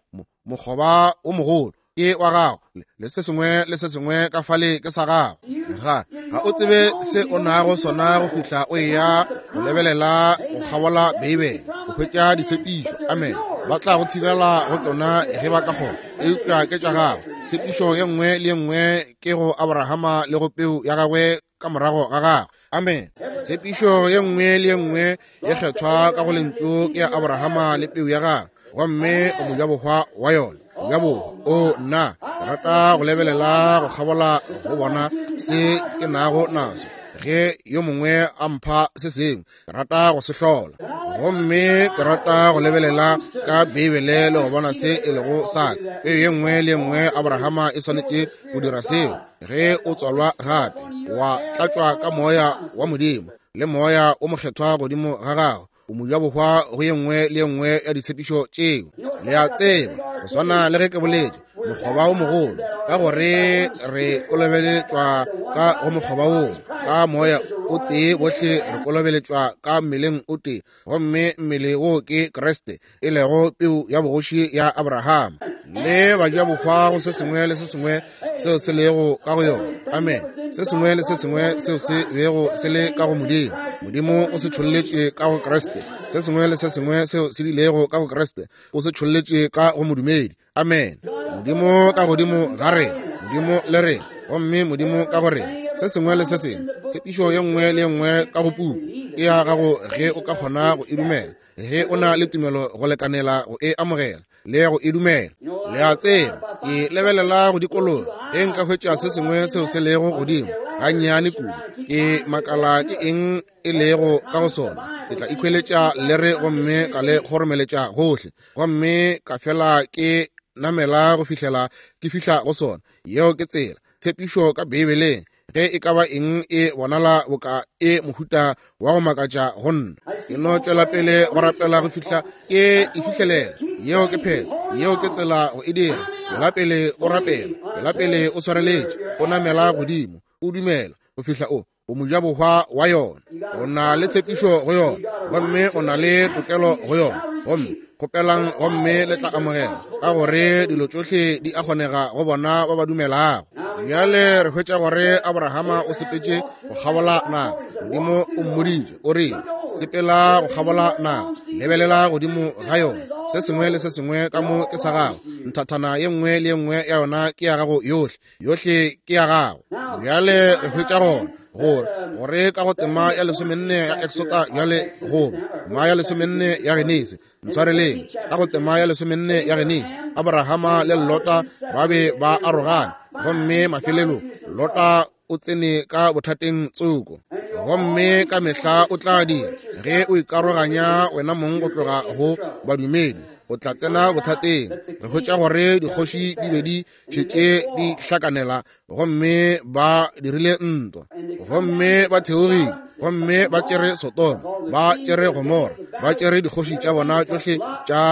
mokgoba o mogolo ke wa gago, le se sengwe le se sengwe ka fale ke sa gago. Ga ga o tsebe se o nago sona go fihla o eya go lebelela go kgabola Beibele, go hwetša ditshepišo. Amen. Ba tla go thibela go tšona ge ba ka kgona, eupša ke tša gago. Tshepišo ye nngwe le ye nngwe ke go Abrahama le go peu ya gagwe ka morago ga gagwe. Amen. Tshepišo ye nngwe le ye nngwe ye kgethwa ka go lentšu ke ya Abrahama le peu ya gagwe, gomme o mojabohwa wa yona. Mojabohwa, o nna, ke rata go lebelela go kgabola go bona se ke nago naso. Ge yo mongwe a mpha se sengwe, ke rata go se hlola. Gomme ke rata go lebelela ka Beibele le go bona se e lego sa ka. Peu ye nngwe le ye nngwe Abrahama e swanetše go dira seo. Ge o tswalwa gape, wa tlatšwa ka moya wa Modimo le moya o mokgethwa godimo ga gago, o mojabohwa go ye nngwe le ye nngwe ya ditshepišo tšeo. Le a tseba, go swana le ge ke boletše, mokgoba o mogolo, ka gore re kolobeletšwa ka go mokgoba woo, ka moya o tee bohle re kolobeletšwa ka mmeleng o tee, gomme mmele wo ke Kriste, e lego peu ya bogoši ya Abrahama. Le bajabohwa go se sengwe le se sengwe seo se lego ka go yona. Amen. Se sengwe le se sengwe seo se bego se le ka go Modimo, Modimo o se tšholletše ka go Kriste. Se sengwe le se sengwe seo se bilego ka go Kriste, o se tšholletše ka go modumedi. Amen. Modimo ka godimo ga rena, Modimo le rena, gomme Modimo ka go rena. Se sengwe le se sengwe, tshepišo ye nngwe le ye nngwe ka go puku e ya gago ge o ka kgona go e dumela, ge o na le tumelo go lekanela go e amogela le go e dumela. Le a tseba, ke lebelela go dikologa ge nka hwetša se sengwe seo se lego godimo gannyane kudu, ke makala ke eng e lego ka go sona. Ke tla ikhweletša lere gomme ka le kgoromeletša gohle, gomme ka fela ke namela go fihlela ke fihla go sona. Yeo ke tsela tshepišo ka Beibeleng. Ge e ka ba eng e bonala boka e mohuta wa go makatša go nna, ke no tšwela pele go rapela go fihla ke e fihlelela. Yeo ke phetho, yeo ke tsela go e dira. Tšwela pele o rapela, tšwela pele o swareletše, o namela godimo, o dumela go fihla o o mojabohwa wa yona. O na le tshepišo go yona, gomme o na le tokelo go yona. Gomme kgopelang gomme le tla amogela, ka gore dilo tšohle di a kgonega go bona ba ba dumelago. Bjale re hwetša gore Abrahama o sepetše go kgabola naga. Modimo o mmoditše, o rile, sepela go kgabola naga, lebelela godimo ga yona. Se sengwe le se sengwe ka mo ke sa gago. Nthathana ye nngwe le ye nngwe ya yona ke ya gago yohle, yohle ke ya gago. Bjale re hwetša gona gore gore ka go tema ya lesomenne ya Exota, bjale goba tema ya lesomenne ya Genesi, ntshwareleng, ka go tema ya lesomenne ya Genesi, Abrahama le Lota ba be ba arogane, gomme mafelelong Lota o tsene ka bothateng tsoko. Gomme ka mehla o tla dira ge o ikaroganya wena mong go tloga go badumedi, o tla tsena bothateng. Re hwetša gore dikgoši di be di šetše di hlakanela, gomme ba dirile ntwa, gomme ba theogile, gomme ba tšere Sodoma, ba tšere Gomora, ba tšere dikgoši tša bona tšohle tša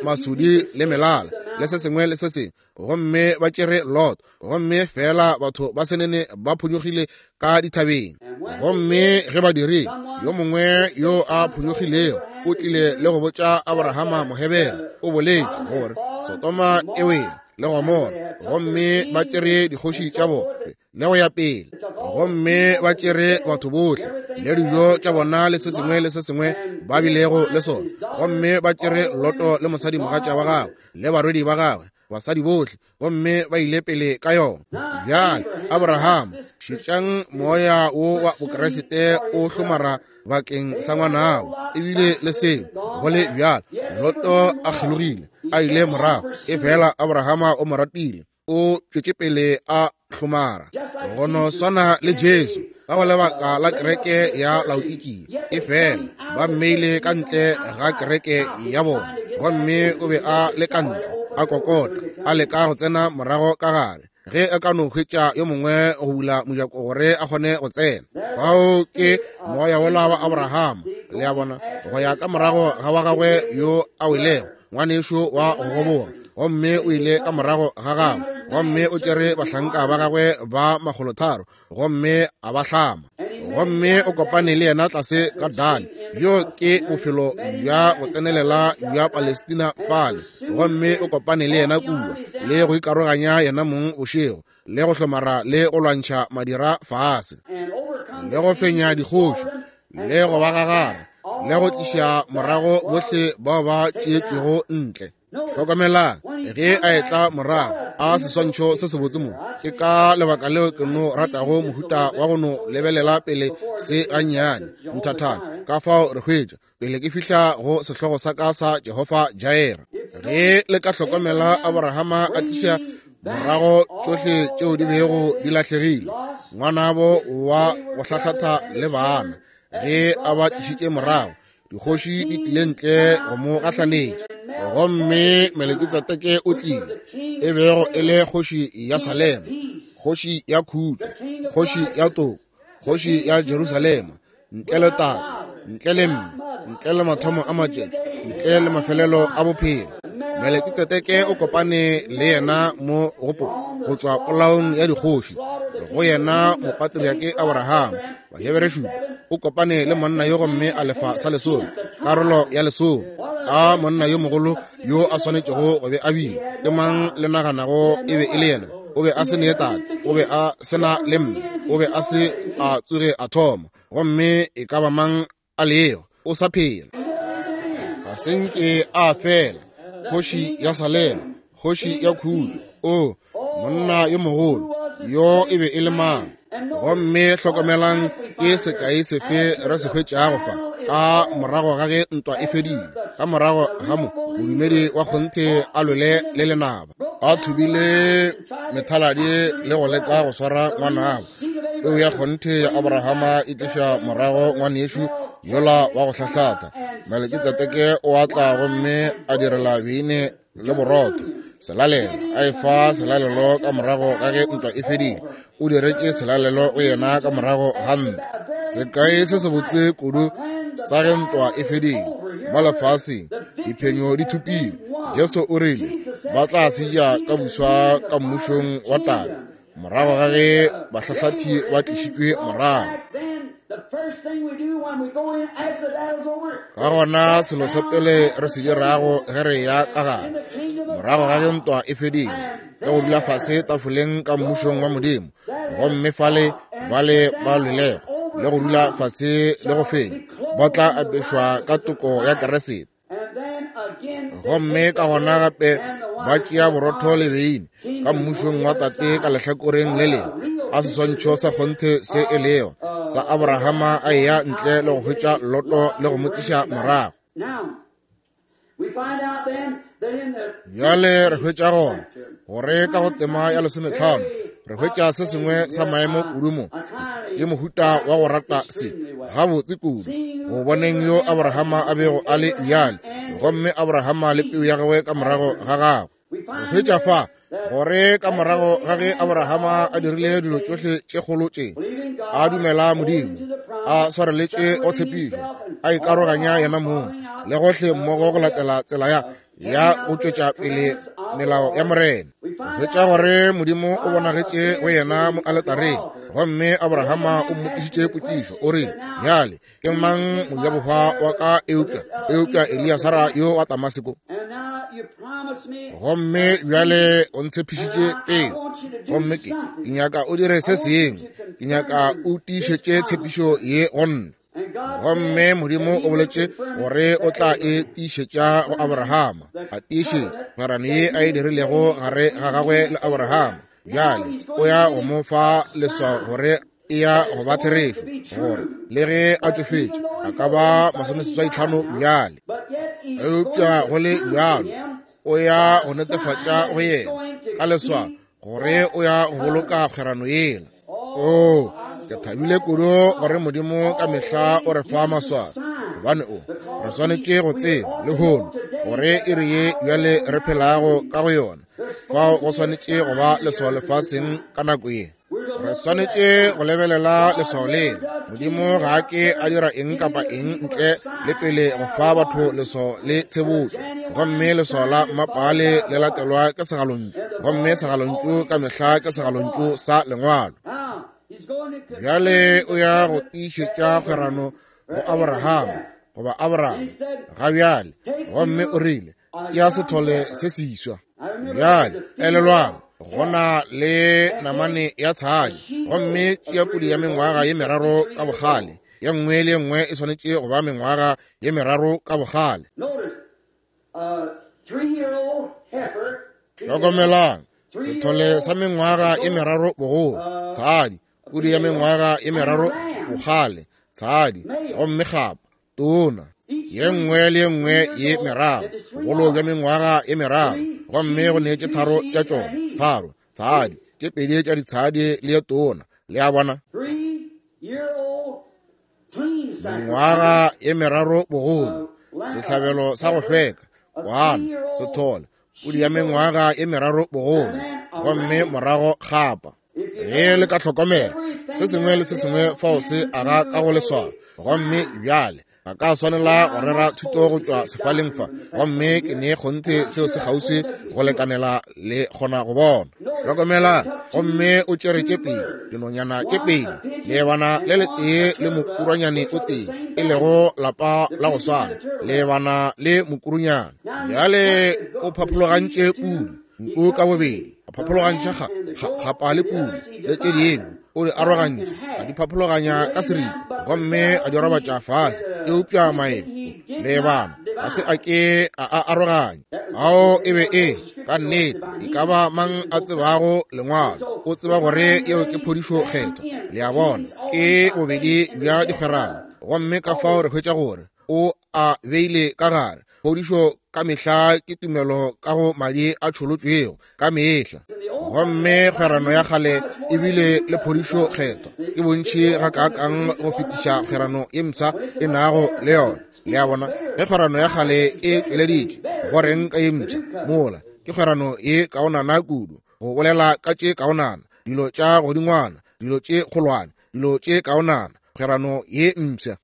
masudi le melala le se sengwe le se sengwe, gomme ba tšere Lot, gomme fela batho ba senene ba phonyogile ka dithabeng. Gomme ge ba dirile, yo mongwe yo a phonyogilego o tlile le go botša Abrahama Mohebere, o boletše gore Sodoma e wele le Gomora, gomme ba tšere dikgoši tša bona le go ya pele, gomme ba tšere batho bohle le dijo tša bona le se sengwe le se sengwe ba bilego le sona, gomme ba tšere Loto le mosadimogatša wa gagwe le barwedi ba gagwe, basadi bohle, gomme ba ile pele ka yona. Bjale Abrahama, šetšang moya wo wa Bokriste o hlomara bakeng sa ngwanabo, ebile le seo go le bjalo Loto a kgelogile a ile morago, e fela Abrahama o mo ratile, o tšwetše pele a hlomara. Go no swana le Jesu ka go lebaka la kereke ya Laodikia, e fela ba mmeile ka ntle ga kereke ya bona, gomme o be a le ka ntle a kokota, a leka go tsena morago ka gare ge a ka no hwetša yo mongwe go bula mojako gore a kgone go tsena. Bao ke moya wola wa Abrahama, le a bona, go ya ka morago ga wa gagwe yo a welego, ngwanešo wa go goboga, gomme o ile ka morago ga gagwe, gomme o tšere bahlanka ba gagwe ba makgolotharo gomme a ba hlama, gomme o kopane le yena tlase ka Dani. Bjo ke bophelo bja go tsenelela bja Palestina fale, gomme o kopane le yena kua, le go ikaroganya yena mong bošego, le go hlomara le go lwantšha madira fase, le go fenya dikgoši, le go ba gagara, le go tliša morago bohle bao ba tšeetšwego ntle. Hlokomelang ge a etla morago a seswantšho se sebotse mo. Ke ka lebaka leo ke no ratago mohuta wa go no lebelela pele se gannyane nthathana. Ka fao re hwetša pele ke fihla go sehlogo sa ka sa Jehofa Jireh. Ge le ka hlokomela, Abrahama a tliša morago tšohle tšeo di bego di lahlegile, ngwanabo wa go hlahlatha le bana. Ge a ba tlišitše morago, dikgoši di tlile ntle go mo gahlanetša, gomme Melekitsedeke o tlile, e bego e le kgoši ya Salema, kgoši ya khutšo, kgoši ya toko, kgoši ya Jerusalema, ntle le tate, ntle le mme, ntle le mathomo a matšatši, ntle le mafelelo a bophelo. Melekitsedeke o kopane le yena mo go go tšwa polaong ya dikgoši, go yena mopatriake Abrahama. Bahebere šupa o kopane le monna yo gomme a lefa sa lesome, karolo ya lesome. A monna yo mogolo yo a swanetšego go be a bile. Ke mang le naganago e be e le yena? O be a se ne tate, o be a se na le mme, o be a se a tsoge a thoma. Gomme e ka ba mang a lego, o sa phela. Ga se nke a fela. Kgoši ya Salema, kgoši ya khutšo. O monna yo mogolo, yo e be e le mang? Gomme hlokomelang ke sekai sefe re se hwetšago fa ka morago ga ge ntwa e fedile, ka morago ga mo modumedi wa kgonthe a lwele le lenaba, a thubile methaladi le go leka go swara ngwanabo. Peu ya kgonthe ya Abrahama e tliša morago ngwanešu yola wa go hlahlatha. Melekitsedeke o a tla gomme a direla beine le borotho selalelo, a e fa selalelo ka morago ga ge ntwa e fedile. O diretše selalelo go yena ka morago ga ntwa. Sekai se sebotse kudu sa ge ntwa e fedile mo lefaseng, diphenyo di thupile. Jesu o rile ba tla se ja ka buswa ka mmušong wa Tate morago ga ge bahlahlathi ba tlišitšwe morago. Ka gona selo sa pele re se dirago ge re ya ka gare morago ga ge ntwa e fedile ke go dula fase tafoleng ka mmušong wa Modimo, gomme fale bale ba lwelego le go dula fase le go fenya ba tla apešwa ka toko ya Keresete. Gomme ka gona gape ba tšea borotho le beine ka mmušong wa Tate ka lehlakoreng le lengwe, a seswantšho sa kgonthe se e lego sa Abrahama a eya ntle le go hwetša Loto le go mo tliša morago. Bjale re hwetša gona gore ka go tema ya lesometlhano re hwetša se sengwe sa maemo kudu mo, ke mohuta wa go rata se gabotse kudu go boneng yo Abrahama a bego a le bjale, gomme Abrahama le peu ya gagwe ka morago ga gagwe. Re hwetša fa gore ka morago ga ge Abrahama a dirile dilo tšohle tše kgolo tše, a dumela Modimo, a swareletše go tshepišo, a ikaroganya yena mong le gohle mmogo go latela tsela ya ya go tšwetša pele melao ya Morena. Hwetša gore Modimo o bonagetše go yena mo aletareng, gomme Abrahama o mmotšišitše potšišo, o rile, bjale ke mang mojabohwa wa ka eupša eupša Eliasara yo wa Damaseko? Gomme bjale o ntshepišitše peo, gomme ke ke nyaka o dire se sengwe, ke nyaka o tiišetše tshepišo ye go nna. Gomme Modimo o boletše gore o tla e tiišetša go Abrahama, a tiišetša kgwerano ye a e dirilego gare ga gagwe le Abrahama. Bjale o ya go mo fa leswao gore e ya go ba therešo, gore le ge a tšofetše a ka ba masomeseswai tlhano bjale, eupša go le bjalo o ya go netefatša go yena ka leswao gore o ya go boloka kgwerano yela. O ke thabile kudu gore Modimo ka mehla o re fa maswao, gobane o re swanetše go tseba lehono gore e re ye bjale re phelago ka go yona. Fao go swanetše go ba leswao lefaseng ka nako ye. Re swanetše go lebelela leswao lela. Modimo ga a ke a dira eng kapa eng ntle le pele go fa batho leswao le tshebotšo, gomme leswao la mmapaale le latelwa ke segalontšu, gomme segalontšu ka mehla ke segalontšu sa lengwalo. Bjale o ya go tiišetša kgwerano go Abrahama goba Abraham ga bjale, gomme o rile ke ya sethole se seswa. Bjale elelwang, go na le namane ya tshadi, gomme tšea pudi ya mengwaga ye meraro ka bogale, ye nngwe le ye nngwe e swanetše go ba mengwaga ye meraro ka bogale. Hlokomelang, sethole sa mengwaga ye meraro bogolo, tshadi, pudi ya mengwaga ye meraro bogale, tshadi, gomme kgapa tona, ye nngwe le ye nngwe ye meraro, bogolo bja mengwaga ye meraro, gomme go neetše tharo tša tšona, tharo tshadi, tše pedi tša ditshadi le ye tona. Le a bona, mengwaga ye meraro bogolo, sehlabelo sa go hlweka, kwana, sethole, pudi ya mengwaga ye meraro bogolo, gomme morago kgapa. Ge le ka hlokomela se sengwe le se sengwe fao se aga ka go leswao. Gomme bjale Ga ka swanela go rera thuto go tšwa sefaleng fa, gomme ke ne kgonthe seo se kgauswi go lekanela le kgona go bona. Hlokomela, gomme o tšere tše pedi, dinonyana tše pedi, leebana le letee le mokurwanyane o tee, e lego lapa la go swana, leebana le mokurunyana. Bjale o phaphologantše pudi, nku ka bobedi, a phaphologantšha kgapa le pudi le tše dingwe, o di arogantše, a di phaphologanya ka seripa, gomme a di robatša fase. Eupša maemo leebana ga se a ke a a aroganya. Ao e be e ka nnete e ka ba mang a tsebago lengwalo o tseba gore yeo ke phodišo kgethwa. Le a bona, ke bobedi bja dikgwerano, gomme ka fao re hwetša gore o a beile ka gare. Phodišo ka mehla ke tumelo ka go madi a tšholotšwego ka mehla, gomme kgwerano ya kgale ebile le phodišo kgethwa ke bontši gakaakang go fetiša kgwerano ye mpsha e nago le yona. Le a bona, ge kgwerano ya kgale e tšweleditše, go reng ka ye mpsha? Mola ke kgwerano ye kaonana kudu, go bolela ka tše kaonana, dilo tša godingwana, dilo tše kgolwane, dilo tše kaonana, kgwerano ye mpsha.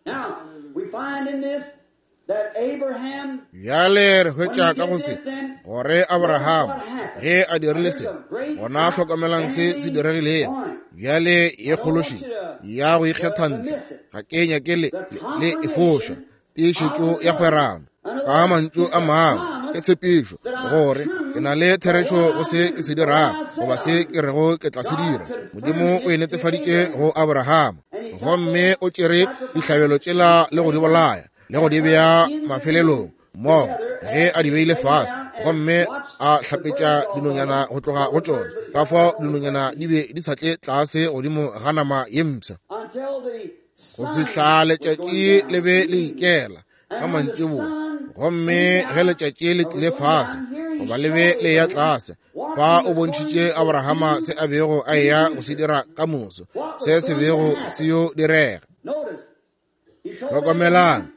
Bjale re hwetša ka go se gore Abraham ge a dirile se, gona hlokomelang se se diregilego. Bjale ye kgološi ya go ikgetha ntle, ga ke nyake le, le e foša, tiišetšo ya kgwerano. Ka mantšu a mangwe, ke tshepišo gore ke na le therešo go se ke se dirago goba se ke rego ke tla se dira. Modimo o e netefaditše go Abraham, gomme o tšere dihlabelo tšela le go di bolaya le go di bea mafelelong mmogo ge a di beile fase, gomme a hlapetša dinonyana go tloga go tšona. Ka fao dinonyana di be di sa tle tlase godimo ga nama ye mpsha go fihla letšatši le be le ikela ka mantšiboa. Gomme ge letšatši le tlile fase goba le be le ya tlase, fa o bontšhitše Abrahama se a bego a eya go se dira ka moso, se se bego se yo direga. Hlokomelang,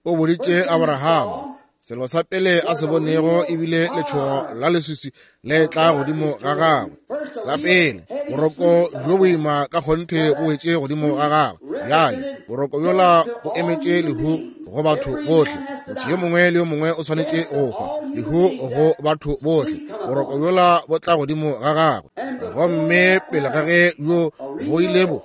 o boditše Abrahama selo sa pele a se bonego ebile letšhogo la leswiswi le tla godimo ga gagwe. Sa pele, boroko bjo boima ka kgonthe bo wetše godimo ga gagwe. Bjale boroko bjola bo emetše lehu go batho bohle. Motho yo mongwe le yo mongwe o swanetše go hwa, lehu go batho bohle. Boroko bjola bo tla godimo ga gagwe, gomme pele ga ge bjo go ile bo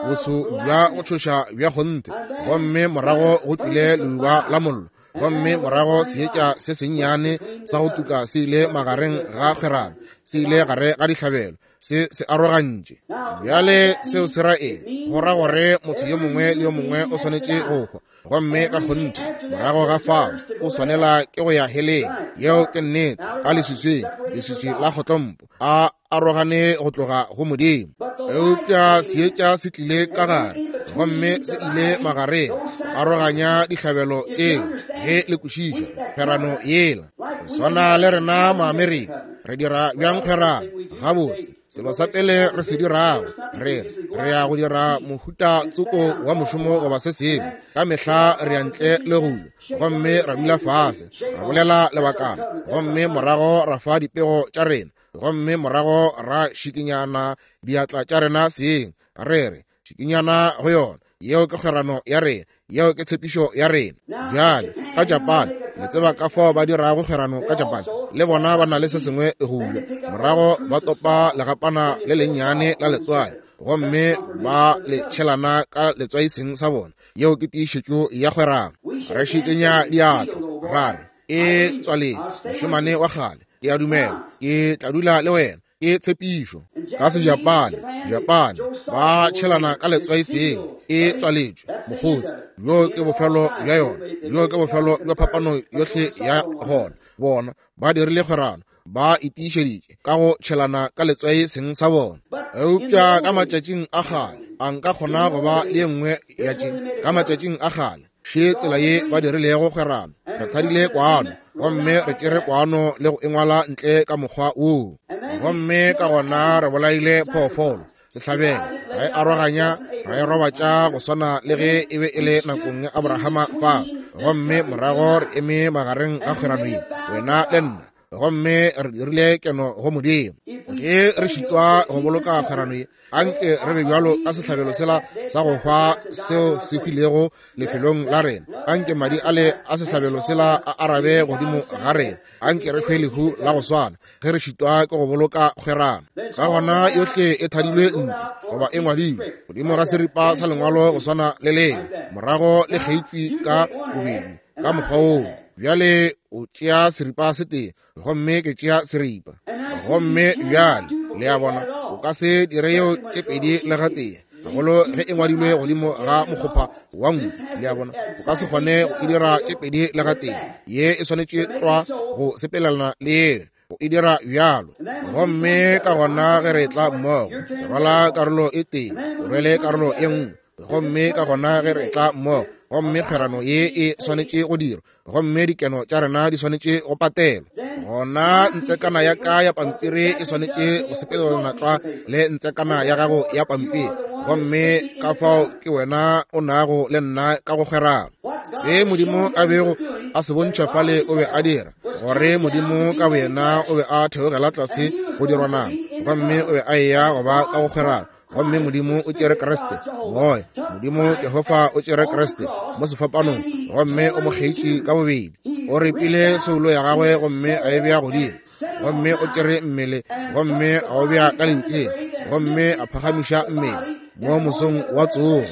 boso bja go tšhoša bja kgonthe, gomme morago go tšwile leuba la mollo, gomme morago seetša se sennyane sa go tuka se ile magareng ga kgwerano, se ile gare ga dihlabelo, se se arogantše. Bjale seo se ra eng? Go ra gore motho yo mongwe le yo mongwe o swanetše go hwa, gomme ka kgonthe morago ga fao o swanela ke go ya heleng. Yeo ke nnete, ka leswiswing, leswiswi la kgotlompo, a arogane go tloga go Modimo. Eupša seetša se tlile ka gare, gomme se ile magareng, aroganya dihlabelo tšeo ge le kwešiša kgwerano yela. Go swana le rena Maamerika, re dira bjang kgwerano? Gabotse, selo sa pele re se dirago, re re re ya go dira mohuta tsoko wa mošomo goba se sengwe, ka mehla re ya ntle le go ya, gomme ra dula fase, ra bolela lebakana, gomme morago ra fa dipego tša rena, gomme morago ra šikinyana diatla tša rena seng, re re šikinyana go yona. Yeo ke kgwerano ya rena, yeo ke tshepišo ya rena. Bjale ka Japan, le tseba ka fao ba dirago kgwerano ka Japan, le bona ba na le se sengwe go ja. Morago ba topa legapana le lennyane la letswai, gomme ba le tšhelana ka letswai seng sa bona. Yeo ke tiišetšo ya kgwerano. Re šikinya diatla ra re e tswaletše, mošemane wa kgale, ke a dumela ke tla dula le wena. Ke tshepišo. Ka Sejapane, Japane ba tšhelana ka letswai seng, e tswaletšwe mokgotsi. Bjo ke bofelo bja yona, bjo ke bofelo bja phapano yohle ya gona. Bona ba dirile kgwerano, ba itiišeditše ka go tšhelana ka letswai seng sa bona. Eupša ka matšatšing a kgale, a nka kgona go ba le ye nngwe ya tše. Ka matšatšing a kgale, še tsela ye ba dirilego kgwerano. Re thadile kwano, gomme re tšere kwano le go engwala ntle ka mokgwa woo, gomme ka gona re bolaile phoofolo sehlabelo, ra e aroganya, ra e robatša go swana le ge e be e le nakong ya Abrahama fa, gomme morago re eme magareng ga kgwerano ye, wena le nna, gomme re dirile keno go Modimo. Ge re šitwa go boloka kgwerano ye, anke re be bjalo ka sehlabelo sela sa go hwa seo se hwilego lefelong la rena. Anke madi ale a sehlabelo sela a arabe godimo ga rena. Anke re hwe lehu la go swana ge re šitwa ke go boloka kgwerano. Ka gona yohle e thadilwe ntle goba e ngwadilwe godimo ga seripa sa lengwalo go swana le lengwe, morago le kgeitšwe ka bobedi ka mokgwa woo. Bjale o tšea seripa se tee, gomme ke tšea seripa. Gomme bjale le a bona, o ka se dire yeo tše pedi le gatee, gagolo ge e ngwadilwe godimo ga mokgopha wa nku. Le a bona, o ka se kgone go e dira tše pedi le gatee. Ye e swanetše tlwa go sepelelana le ye, go e dira bjalo. Gomme ka gona ge re tla mmogo, re rwala karolo e tee, o rwele karolo e nngwe. Gomme ka gona ge re tla mmogo, gomme kgwerano ye e swanetše go dirwa, gomme dikeno tša rena di swanetše go patelwa, gona ntsekana ya ka ya pampiri e swanetše go sepelelana tlwa le ntsekana ya gago ya pampiri. Gomme ka fao ke wena o nago le nna ka go kgwerano. Se Modimo a bego a se bontšha fale o be a dira, gore Modimo ka boyena o be a theogela tlase go dirwa nama, gomme o be a eya go ba ka go kgwerano. Gomme Modimo o tšere Kriste, moya. Modimo Jehofa o tšere Kriste mo sefapanong, gomme o mo kgeitše ka bobedi. O repile soulo ya gagwe gomme a e bea godimo, gomme o tšere mmele gomme a o bea ka lebitleng, gomme a phagamiša mmele mo mosong wa tsogo,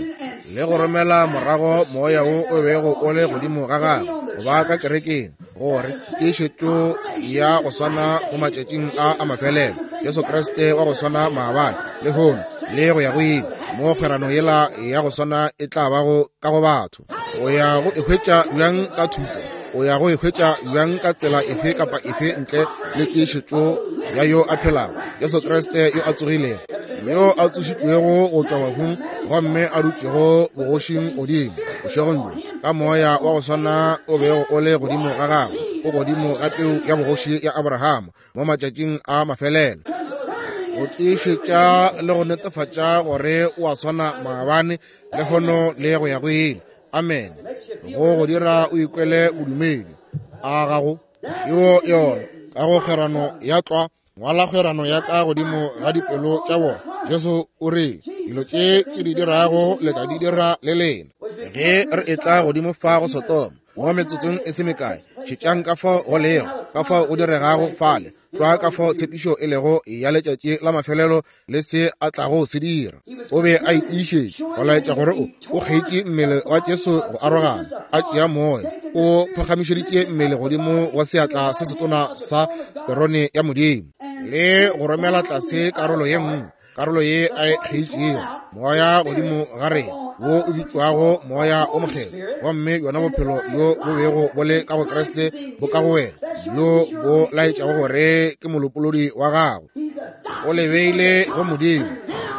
le go romela morago moya wo o bego o le godimo ga gagwe go ba ka kerekeng, gore tiišetšo ya go swana mo matšatšing a a mafelelo, Jesu Kriste wa go swana maabane, lehono le go ya go ile, mo kgwerano yela ya go swana e tla bago ka go batho. O ya go e hwetša bjang ka thuto? O ya go e hwetša bjang ka tsela efe kapa efe ntle le tiišetšo ya yo a phelago, Jesu Kriste yo a tsogilego, yo a tsošitšwego go tšwa bahung gomme a dutšego bogošing godimo bošegong bjo, ka moya wa go swana o bego o le godimo ga gagwe, o godimo ga peu ya bogoši ya Abrahama mo matšatšing a mafelelo, go tiišetša le go netefatša gore o a swana maabane, lehono le go ya go ile. Amen. Go go dira o ikwele bodumedi a gago šeo yona ka go kgwerano ya tlwa. Ngwala kgwerano ya ka godimo ga dipelo tša bona. Jesu o re, dilo tše ke di dirago le tla di dira le lena. Ge re etla godimo fa go Sodoma mo metsotsong e se mekae, šetšang ka fao go lego, ka fao go diregago fale, tlwa ka fao tshepišo e lego ya letšatši la mafelelo le se a tlago se dira. O be a itiišetše go laetša gore o o kgeitše mmele wa Jesu go arogana, a tšea moya, o phagamišeditše mmele godimo wa seatla se setona sa terone ya Modimo, le go romela tlase karolo ye nngwe, karolo ye a e kgeitšego, moya godimo ga rena wo o bitšwago moya o mokgethwa. Gomme yona bophelo bjo bo bego bo le ka go Kriste bo ka go wena, bjo bo laetšago gore ke molopolodi wa gago. O le beile go Modimo,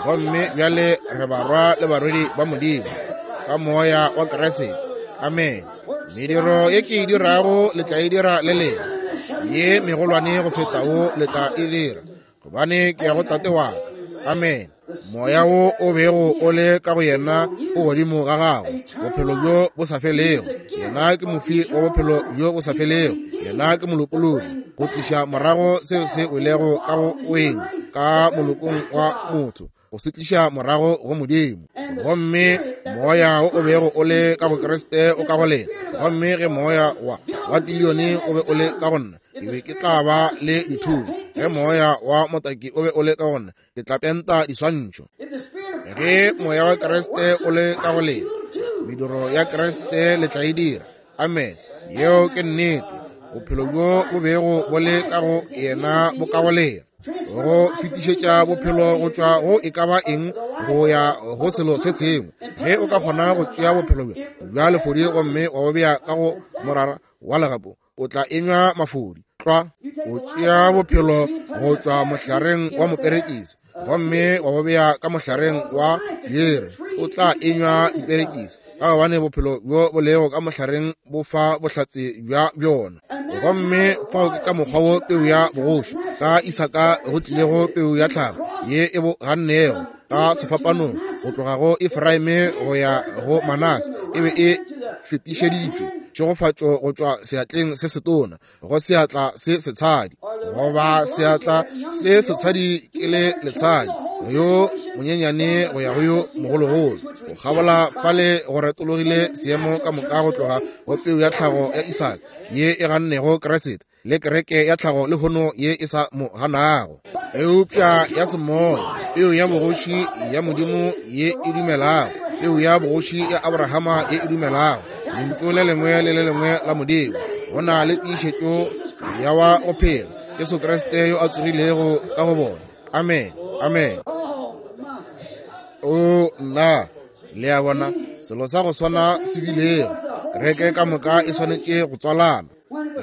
gomme bjale re barwa le barwedi ba Modimo ka moya wa Kriste. Amen. Mediro ye ke e dirago le tla e dira le lena, ye megolwane go feta wo le tla e dira, gobane ke ya go Tate wa ka. Amen. Moya wo o bego o le ka go yena o godimo ga gago, bophelo bjo bo sa felego. Yena ke mofi wa bophelo bjo bo sa felego. Yena ke molopolodi, go tliša morago seo se welego ka go weng ka molokong wa motho, go se tliša morago go Modimo. Gomme moya wo o bego o le ka go Kriste o ka go lena. Gomme ge moya wa wa tilione o be o le ka go nna, ke be ke tla ba le dithunya. Ge moya wa motaki o be o le ka go nna, ke tla penta diswantšho. Ge moya wa Kriste o le ka go lena, mediro ya Kriste le tla e dira. Amen. Yeo ke nnete. Bophelo bjo bo bego bo le ka go yena bo ka go lena, go fetišetša bophelo go tšwa go e ka ba eng go ya go selo se sengwe. Ge o ka kgona go tšea bophelo bjo bja lefodi gomme wa bo bea ka go morara wa legapo, o tla enywa mafodi. Tlwa o tšea bophelo go tšwa mohlareng wa moperekisi gomme wa bo bea ka mohlareng wa diere, o tla enywa diperekisi, ka gobane bophelo bjo bo lego ka mohlareng bo fa bohlatse bja bjona. Gomme fao ke ka mokgwa wo peu ya bogoši ka Isaka go tlilego peu ya tlhago ye e bo gannego ka sefapanong go tloga go Efraime go ya go Manase, e be e fetišeditšwe Tšhegofatšo go tšwa seatleng se setona go seatla se setshadi, goba seatla se setshadi ke le letshadi, yo monyenyane go ya go yo mogologolo. Go kgabola fale go retologile seemo ka moka go tloga go peu ya tlhago ya Isaka ye e gannego Kriste, le kereke ya tlhago le hono ye e sa mo ganago, eupša ya semoya, peu ya bogoši ya Modimo ye e dumelago, peu ya bogoši ya Abrahama ye e dumelago lentšu le lengwe le le lengwe la Modimo. Go na le tiišetšo ya wa go phela, Jesu Kriste yo a tsogilego ka go bona. Amen, amen. O nna, le a bona, selo sa go swana se bilego. Kereke ka moka e swanetše go tswalana.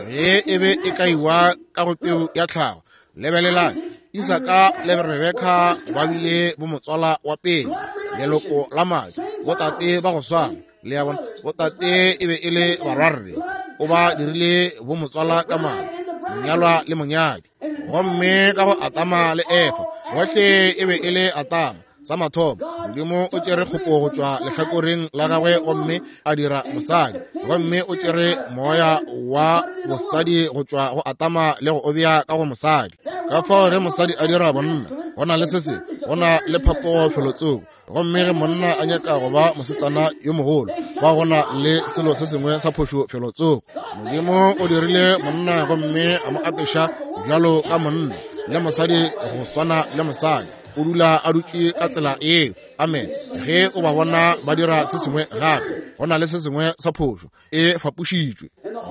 Ge e be e kaiwa ka go peu ya tlhago, lebelelang, Isaka le Rebeka ba bile bo motswala wa pele, leloko la madi, botate ba go swana. Le a bona, botate e be e le barwarre, o ba dirile bo motswala ka madi, monyalwa le monyadi. Gomme ka go Atama le Efa, bohle e be e le Atama. Sa mathomo, Modimo o tšere kgopo go tšwa lehlakoreng la gagwe gomme a dira mosadi, gomme o tšere moya wa bosadi go tšwa go Atama le go o bea ka go mosadi. Ka fao ge mosadi a dira bonna, go na le se se, go na le phapogo felotsoko. Gomme ge monna a nyaka go ba mosetsana yo mogolo, fa go na le selo se sengwe sa phošo felotsoko. Modimo o dirile monna gomme a mo apeša bjalo ka monna, le mosadi go swana le mosadi. O dula a dutše ka tsela eo. Amen. Ge o ba bona ba dira se sengwe gape, go na le se sengwe sa phošo, e fapošitšwe.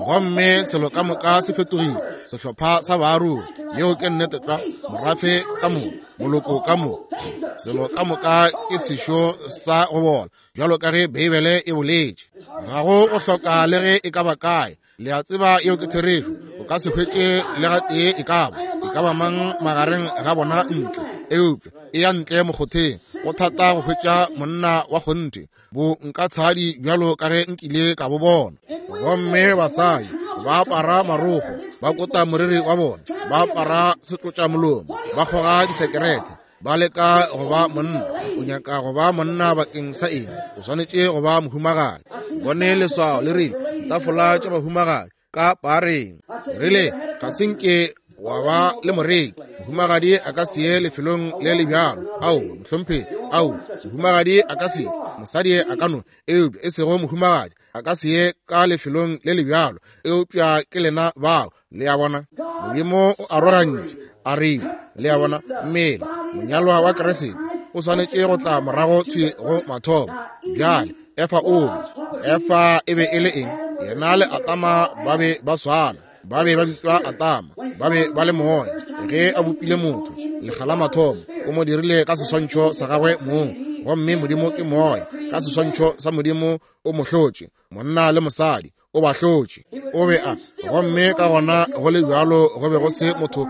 Gomme selo ka moka se fetogile, sehlopha sa baarogi. Yeo ke nnete tlwa, morafe ka moka, moloko ka moka, selo ka moka ke sešo sa go bola, bjalo ka ge Beibele e boletše. Ga go go hloka le ge e ka ba kae. Le a tseba yeo ke therešo. O ka se hwetše le gatee e ka ba, e ka ba mang magareng ga bona ntle, eupša e ya ntle mokgotheng. Go thata go hwetša monna wa kgonthe, bo nka tshadi bjalo ka ge nkile ka bo bona. Gomme basadi ba apara marokgo, ba kota moriri wa bona, ba apara setlotšamolomo, ba kgoga disekerete, ba leka go ba monna. O nyaka go ba monna bakeng sa eng? O swanetše go ba mohumagadi. Bone leswao le rile, tafola tša bahumagadi ka pareng. Rile, ga se nke wa ba le moreki. Mohumagadi a ka se ye lefelong le le bjalo. Ao, mohlomphegi, ao, mohumagadi a ka se, mosadi a ka no, eupša e sego mohumagadi a ka se ye ka lefelong le le bjalo. Eupša ke lena bao, le a bona. Modimo o arogantše, a re, le a bona, mmele, monyalwa wa Kriste o swanetše go tla morago thwi go mathomo. Bjale, Efa o be, Efa e be e le eng? Yena le Atama ba be ba swana, ba be ba bitšwa Atama, ba be ba le moya. Ge a bopile motho lekga la mathomo, o mo dirile ka seswantšho sa gagwe mong, gomme Modimo ke moya. Ka seswantšho sa Modimo o mo hlotše, monna le mosadi o ba hlotše. O be a, gomme ka gona go le bjalo go be go se motho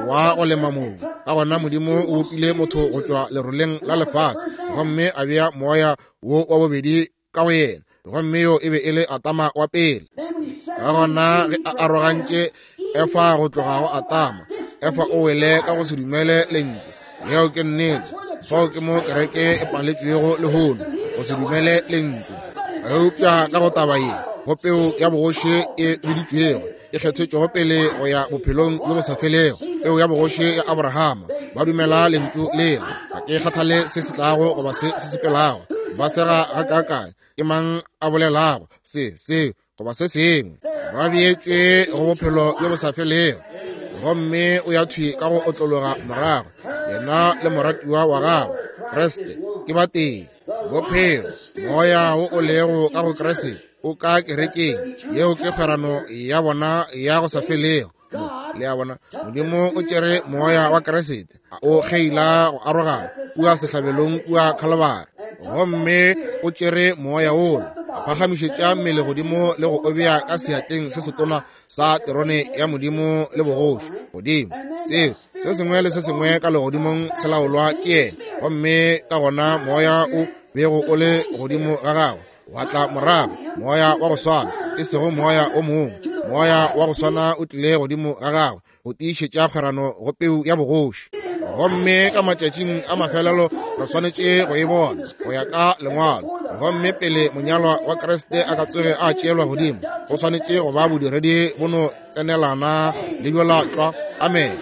wa go lema mobu. Ka gona Modimo o bopile motho go tšwa leroleng la lefase, gomme a bea moya wo wa bobedi ka go yena, gomme yo e be e le Atama wa pele. Ka gona ge a arogantše Efa go tloga go Atama, Efa o wele ka go se dumele lentšu. Yeo ke nnete. Fao ke mo kereke e paletšwego lehono, go se dumele lentšu. Eupša ka go taba ye, go peu ya bogoši e biditšwego, e kgethetšwego pele go ya bophelong bjo bo sa felego, peu ya bogoši ya Abrahama, ba dumela lentšu lela. Ga ke kgathale se se tlago goba se se sepelago, ba sega gakaakae, ke mang a bolelago se se goba se sengwe. Ba beetšwe go bophelo bjo bo sa felego, gomme o ya thwi ka go otlologa morago. Yena le moratiwa wa gagwe Kriste ke ba tee. Bophelo, moya wo o lego ka go Kriste o ka kerekeng. Yeo ke kgwerano ya bona ya go sa felego. Le a bona, Modimo o tšere moya wa Kriste o kgeila go arogana kua sehlabelong kua Khalibari, gomme o tšere moya wola a phagamišetša mmele godimo le go o bea ka seatleng se setona sa terone ya Modimo le bogoši godimo. Seo se sengwe le se sengwe ka legodimong se laolwa ke yena, gomme ka gona moya o bego o le godimo ga gagwe wa tla morago, moya wa go swana, e sego moya o mongwe, moya wa go swana o tlile godimo ga gagwe go tiišetša kgwerano go peu ya bogoši. Gomme ka matšatšing a mafelelo re swanetše go e bona go ya ka lengwalo. Gomme pele monyalwa wa Kriste a ka tsoge a tšeelwa godimo, go swanetše go ba bodiredi bo no tsenelana le bjola tlwa. Amen.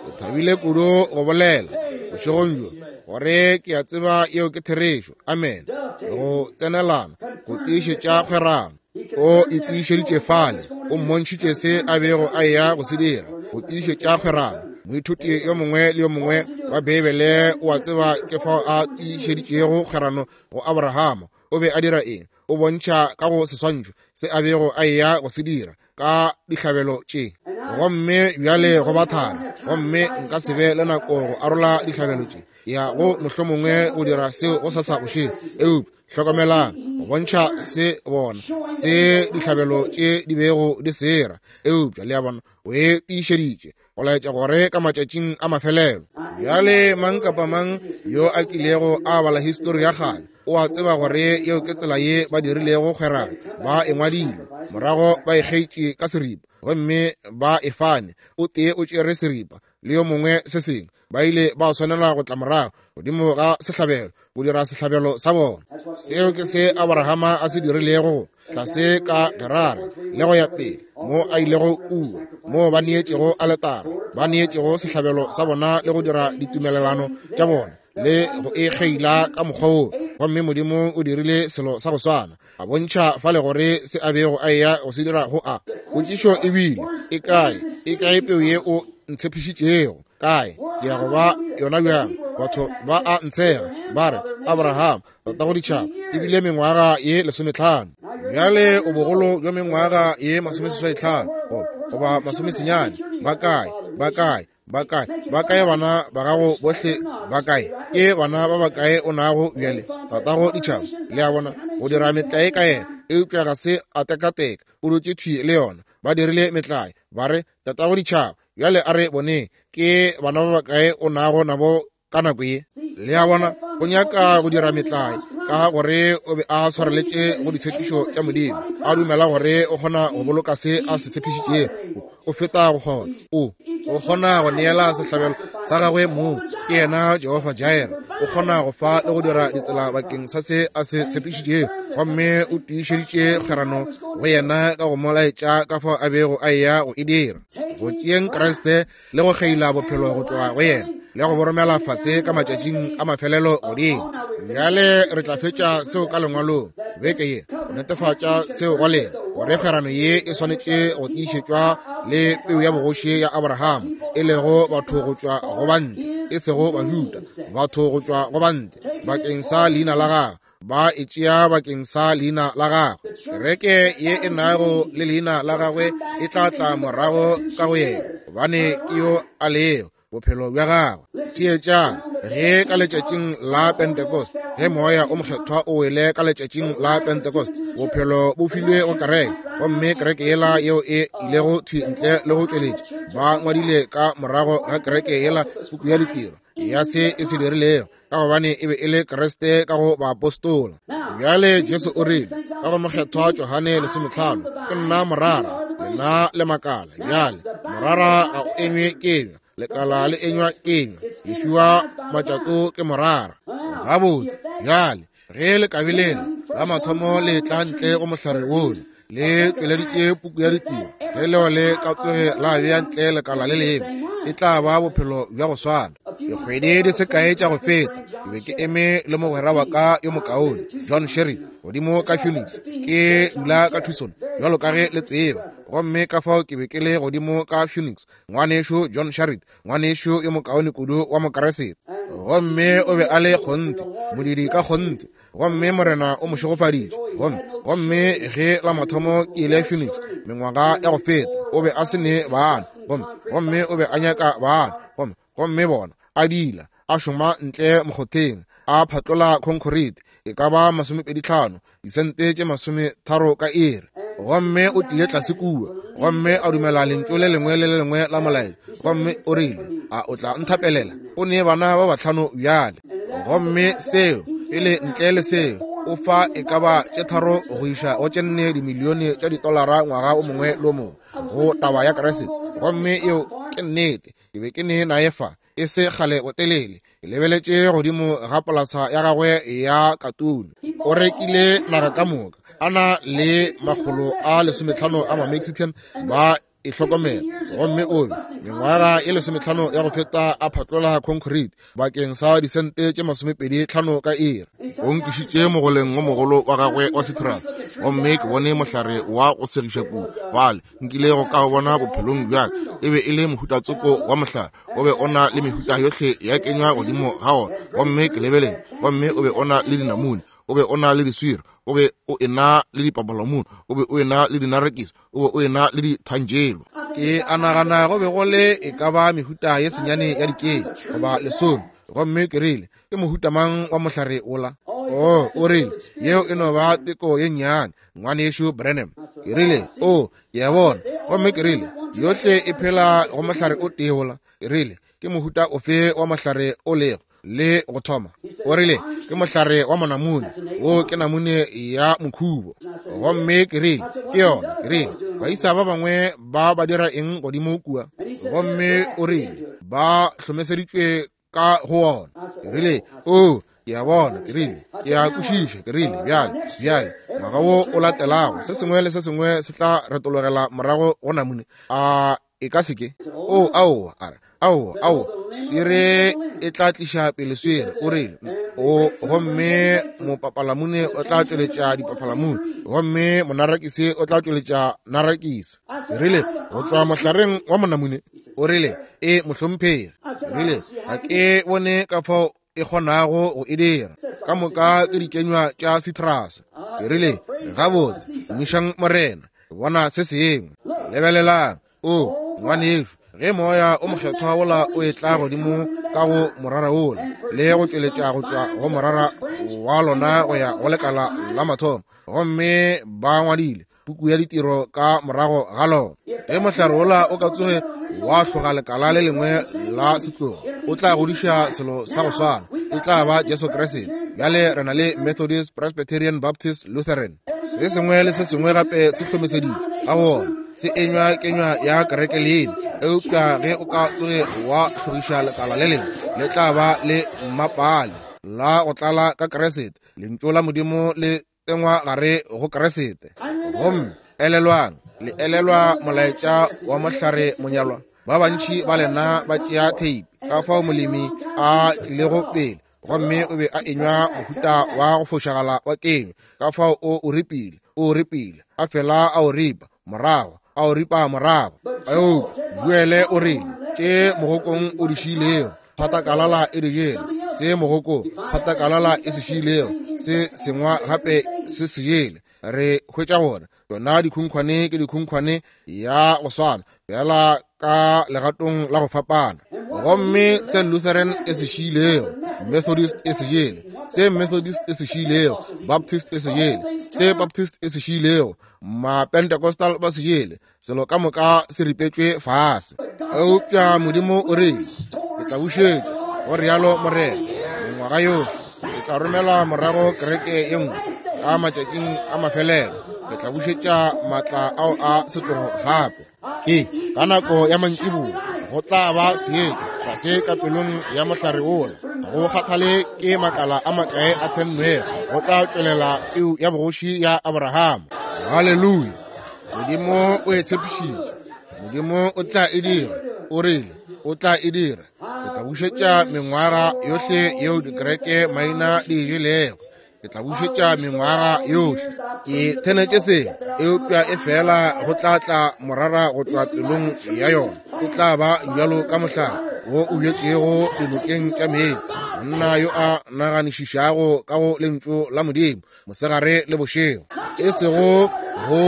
Ke thabile kudu go bolela bošegong bjo gore ke a tseba yeo ke therešo. Amen. Go tsenelana, go tiišetša kgwerano. O e tiišeditše fale, o mmontšhitše se a bego a eya go se dira, go tiišetša kgwerano. Moithuti yo mongwe le yo mongwe wa Beibele o a tseba ke fao a tiišeditšego kgwerano go Abrahama. O be a dira eng? O bontšha ka go seswantšho se a bego a eya go se dira ka dihlabelo tše. Gomme bjale go ba thari, gomme nka se be le nako go arola dihlabelo tše ya go mohlomongwe go dira seo go sasa bošego. Eupša hlokomelang, go bontšha se bona se dihlabelo tše di bego di sera. Eupša le a bona, o e tiišeditše go laetša gore ka matšatšing a mafelelo. Bjale mang kapa mang yo a kilego a bala histori ya kgale o a tseba gore yeo ke tsela ye ba dirilego kgwerano. Ba e ngwadile, morago ba e kgeitše ka seripa, gomme ba e fane. O tee o tšere seripa le yo mongwe se sengwe. Ba ile ba swanela go tla morago godimo ga sehlabelo go dira sehlabelo sa bona. Seo ke se Abrahama a se dirilego tlase ka Gerare le go ya pele, mo a ilego kua, mo ba neetšego aletara, ba neetšego sehlabelo sa bona le go dira ditumelelano tša bona le go e kgeila ka mokgwa woo. Gomme Modimo o dirile selo sa go swana, a bontšha fale gore se a bego a eya go se dira go a. Potšišo e bile, e kae, e kae peu ye o ntshepišitšego? Kae? Ke ya go ba yona bjang? Batho ba a ntshega, ba re, Abraham, tatago ditšhaba, ebile mengwaga ye lesometlhano. Bjale o bogolo bja mengwaga ye masomeseswai tlhano goba masomesenyane. Ba kae? Ba kae? Ba kae? Ba kae bana ba gago bohle? Ba kae? Ke bana ba bakae o nago bjale, tatago ditšhaba? Le a bona, go dira metlae ka yena, eupša ga se a tekateka, o dutše thwi le yona. Ba dirile metlae, ba re, tatago ditšhaba. Bjale a re boneng ke bana ba bakae o nago nabo ka nako ye. Le a bona, o nyaka go dira metlae ka gore o be a swareletše go ditshepišo tša Modimo, a dumela gore o kgona go boloka se a se tshepišitšego. O feta go kgona, o o kgona go neela sehlabelo sa gagwe mong. Ke yena Jehofa Jireh, o kgona go fa le go dira ditsela bakeng sa se a se tshepišitšego. Gomme o tiišeditše kgwerano go yena ka go mo laetša ka fao a bego a eya go e dira, go tšeeng Kriste le go kgeila bophelo go tloga go yena le go boromela fase ka matšatšing a mafelelo godimo. Bjale re tla fetša seo ka lengwalong beke ye go netefatša seo go lena, gore kgwerano ye e swanetše go tiišetšwa le peu ya bogoši ya Abraham, e lego batho go tšwa go bantle, e sego Bajuda, batho go tšwa go bantle bakeng sa leina la gagwe. Ba e tšea bakeng sa leina la gagwe. Kereke ye e nago le leina la gagwe e tla tla morago ka go yena, gobane ke yo a lego bophelo bja gagwe. Theetšang, ge ka letšatšing la Pentecost, ge moya o mokgethwa o wele ka letšatšing la Pentecost, bophelo bo filwe go kereke, gomme kereke yela yeo e ilego thwi ntle le go tšweletša, ba ngwadile ka morago ga kereke yela puku ya ditiro ya se e se dirilego, ka gobane e be e le Kriste ka go baapostola. Bjale Jesu o rile ka go mokgethwa Johane lesometlhano, ke nna morara, lena le makala. Bjale morara ga o enywe kenywa, lekala le enywa kenywa, le fiwa matšato ke morara. Gabotse, bjale ge lekabe lela la mathomo le tla ntle go mohlare wola, le tšweleditše puku ya ditiro, ge leo le ka tsoge la bea ntle lekala le lengwe, e tla ba bophelo bja go swana. Dikgwedi di se kae tša go feta, ke be ke eme le mogwera wa ka yo mokaone John Sherry godimo ka Phoenix. Ke dula ka Tucson bjalo ka ge le tseba, gomme ka fao ke be ke le godimo ka Phoenix. Ngwanešo John Sherry, ngwanešo yo mokaone kudu wa Mokeresete, gomme o be a le kgonthe, modiri ka kgonthe, gomme Morena o mo šegofaditše. Gomme gomme ge la mathomo ke ile Phoenix mengwaga ya go feta, o be a se ne bana, gomme gomme o be a nyaka bana, gomme gomme bona a dila a šoma ntle mokgotheng, a phatlola concrete e ka ba masomepedi tlhano, disente tše masometharo ka iri. Gomme o tlile tlase kua, gomme a dumela lentšu le lengwe le le lengwe la molaetša, gomme o rile, a o tla nthapelela? O ne bana ba batlhano bjale. Gomme seo pele ntle le seo, o fa e ka ba tše tharo go iša go tše nne dimilione tša ditolara ngwaga o mongwe le o mongwe go taba ya Kriste. Gomme yeo ke nnete. Ke be ke ne naye fa e se kgale botelele. Ke lebeletše godimo ga polasa ya gagwe ya katune. O rekile naga ka moka, a na le makgolo a lesometlhano a ma-Mexican ba e hlokomela. Gomme o be mengwaga e lesometlhano ya go feta a phatlola concrete bakeng sa disente tše masomepedi tlhano ka iri. O nkišitše mogoleng wo mogolo wa gagwe wa citrus, gomme ke bone mohlare wa go segiša kudu fale nkile go ka bona bophelong bjaka. E be e le mohutatsoko wa mohlare, o be o na le mehuta yohle ya kenywa godimo ga ona. Gomme ke lebelele, gomme o be o na le dinamune, o be o na le diswiri, o be o ena le dipapalamune, o be o ena le dinarekisi, o be o ena le dithanjelo. Ke a nagana go be go le e ka ba mehuta ye senyane ya dikeng goba lesome. Gomme ke rile, ke mohuta mang wa mohlare ola? O, o rile, yeo e no ba teko ye nnyane, ngwanešu Branham. Ke rile, o, ke a bona. Gomme ke rile, yohle e phela go mohlare o tee ola. Ke rile, ke mohuta ofe wa mohlare o lego le go thoma? O rile, ke mohlare wa monamune, wo ke namune ya mokhubo. Gomme ke rile, ke yona. Ke rile, baisa ba bangwe ba ba dira eng godimo kua? Gomme o rile, ba hlomeseditšwe ka go ona. Ke rile, o, ke a bona. Ke rile, ke a kwešiša. Ke rile, bjale, bjale, ngwaga wo o latelago, se sengwe le se sengwe se tla retologela morago go namune. A e ka se ke? O, aowa, a re, aowa, aowa, swere e tla tliša pele swere. O rile, o, gomme mopapalamune o tla tšweletša dipapalamune, gomme monarakisi o tla tšweletša narakisi. Ke rile, go tšwa mohlareng wa monamune? O rile, e mohlomphegi. Ke rile, ga ke bone ka fao e kgonago go e dira. Ka moka ke dikenywa tša citrus. Ke rile, gabotse, tumišang Morena, ke bona se sengwe. Lebelelang, o, ngwanešu, ge moya o mokgethwa wola o etla godimo ka go morara wola le go tšweletša go tšwa go morara wa lona go ya go lekala la mathomo, gomme ba ngwadile puku ya ditiro ka morago ga lona. Ge mohlare wola o ka tsoge wa hloga lekala le lengwe la setlogo, o tla godiša selo sa go swana, e tla ba Jesu Kriste. Bjale re na le Methodist, Presbyterian, Baptist, Lutheran. Se sengwe le se sengwe gape se hlomeseditšwe ka go ona, se enywa kenywa ya kereke leina. Eupša ge o ka tsoge wa hlogiša lekala le lengwe, le tla ba le mmapale la go tlala ka Kriste. Lentšu la Modimo le tsengwa gare go Kriste. Gomme elelwang, le elelwa molaetša wa mohlare monyalwa. Ba bantši ba lena ba tšea theipi ka fao molemi a tlilego pele, gomme o be a enywa mohuta wa go fošagala wa kenywa. Ka fao o o ripile, o ripile, a fela a o ripa morago, a o ripa morago. Eupša Joele o rile, tše mogokong o di šiilego, phatakalala e di jele, se mogokong phatakalala e se šiilego, se sengwa gape se se jele. Re hwetša gore tšona dikhunkhwane ke dikhunkhwane ya go swana, fela ka legatong la go fapana. Gomme se Lutheran e se šiilego, Methodist e se jele, se Methodist e se šiilego, Baptist e se jele, se Baptist e se šiilego, ma-Pentecostal ba se jele, selo ka moka se ripetšwe fase. Eupša Modimo o rile, ke tla bušetša, go rialo Morena, mengwaga yohle, ke tla romela morago kereke ye nngwe ka matšatšing a mafelelo, ke tla bušetša maatla ao a setlogo gape. Ke ka nako ya mantšiboa go tla ba seetša tlase ka pelong ya mohlare wola. Go kgathale ke makala a makae a thennwego, go tla tšwelela peu ya bogoši ya Abrahama. Haleluya! Modimo o e tshepišitše, Modimo o tla e dira. O rile o tla e dira. Ke tla bušetša mengwaga yohle yeo dikereke maina di e jelego. Ke tla bušetša mengwaga yohle. Ke thenetše se, eupša e fela go tla tla morara go tšwa pelong ya yona. E tla ba bjalo ka mohlare wo o bjetšego dinokeng tša meetse, monna yo a naganišišago ka go lentšu la Modimo mosegare le bošego, e sego go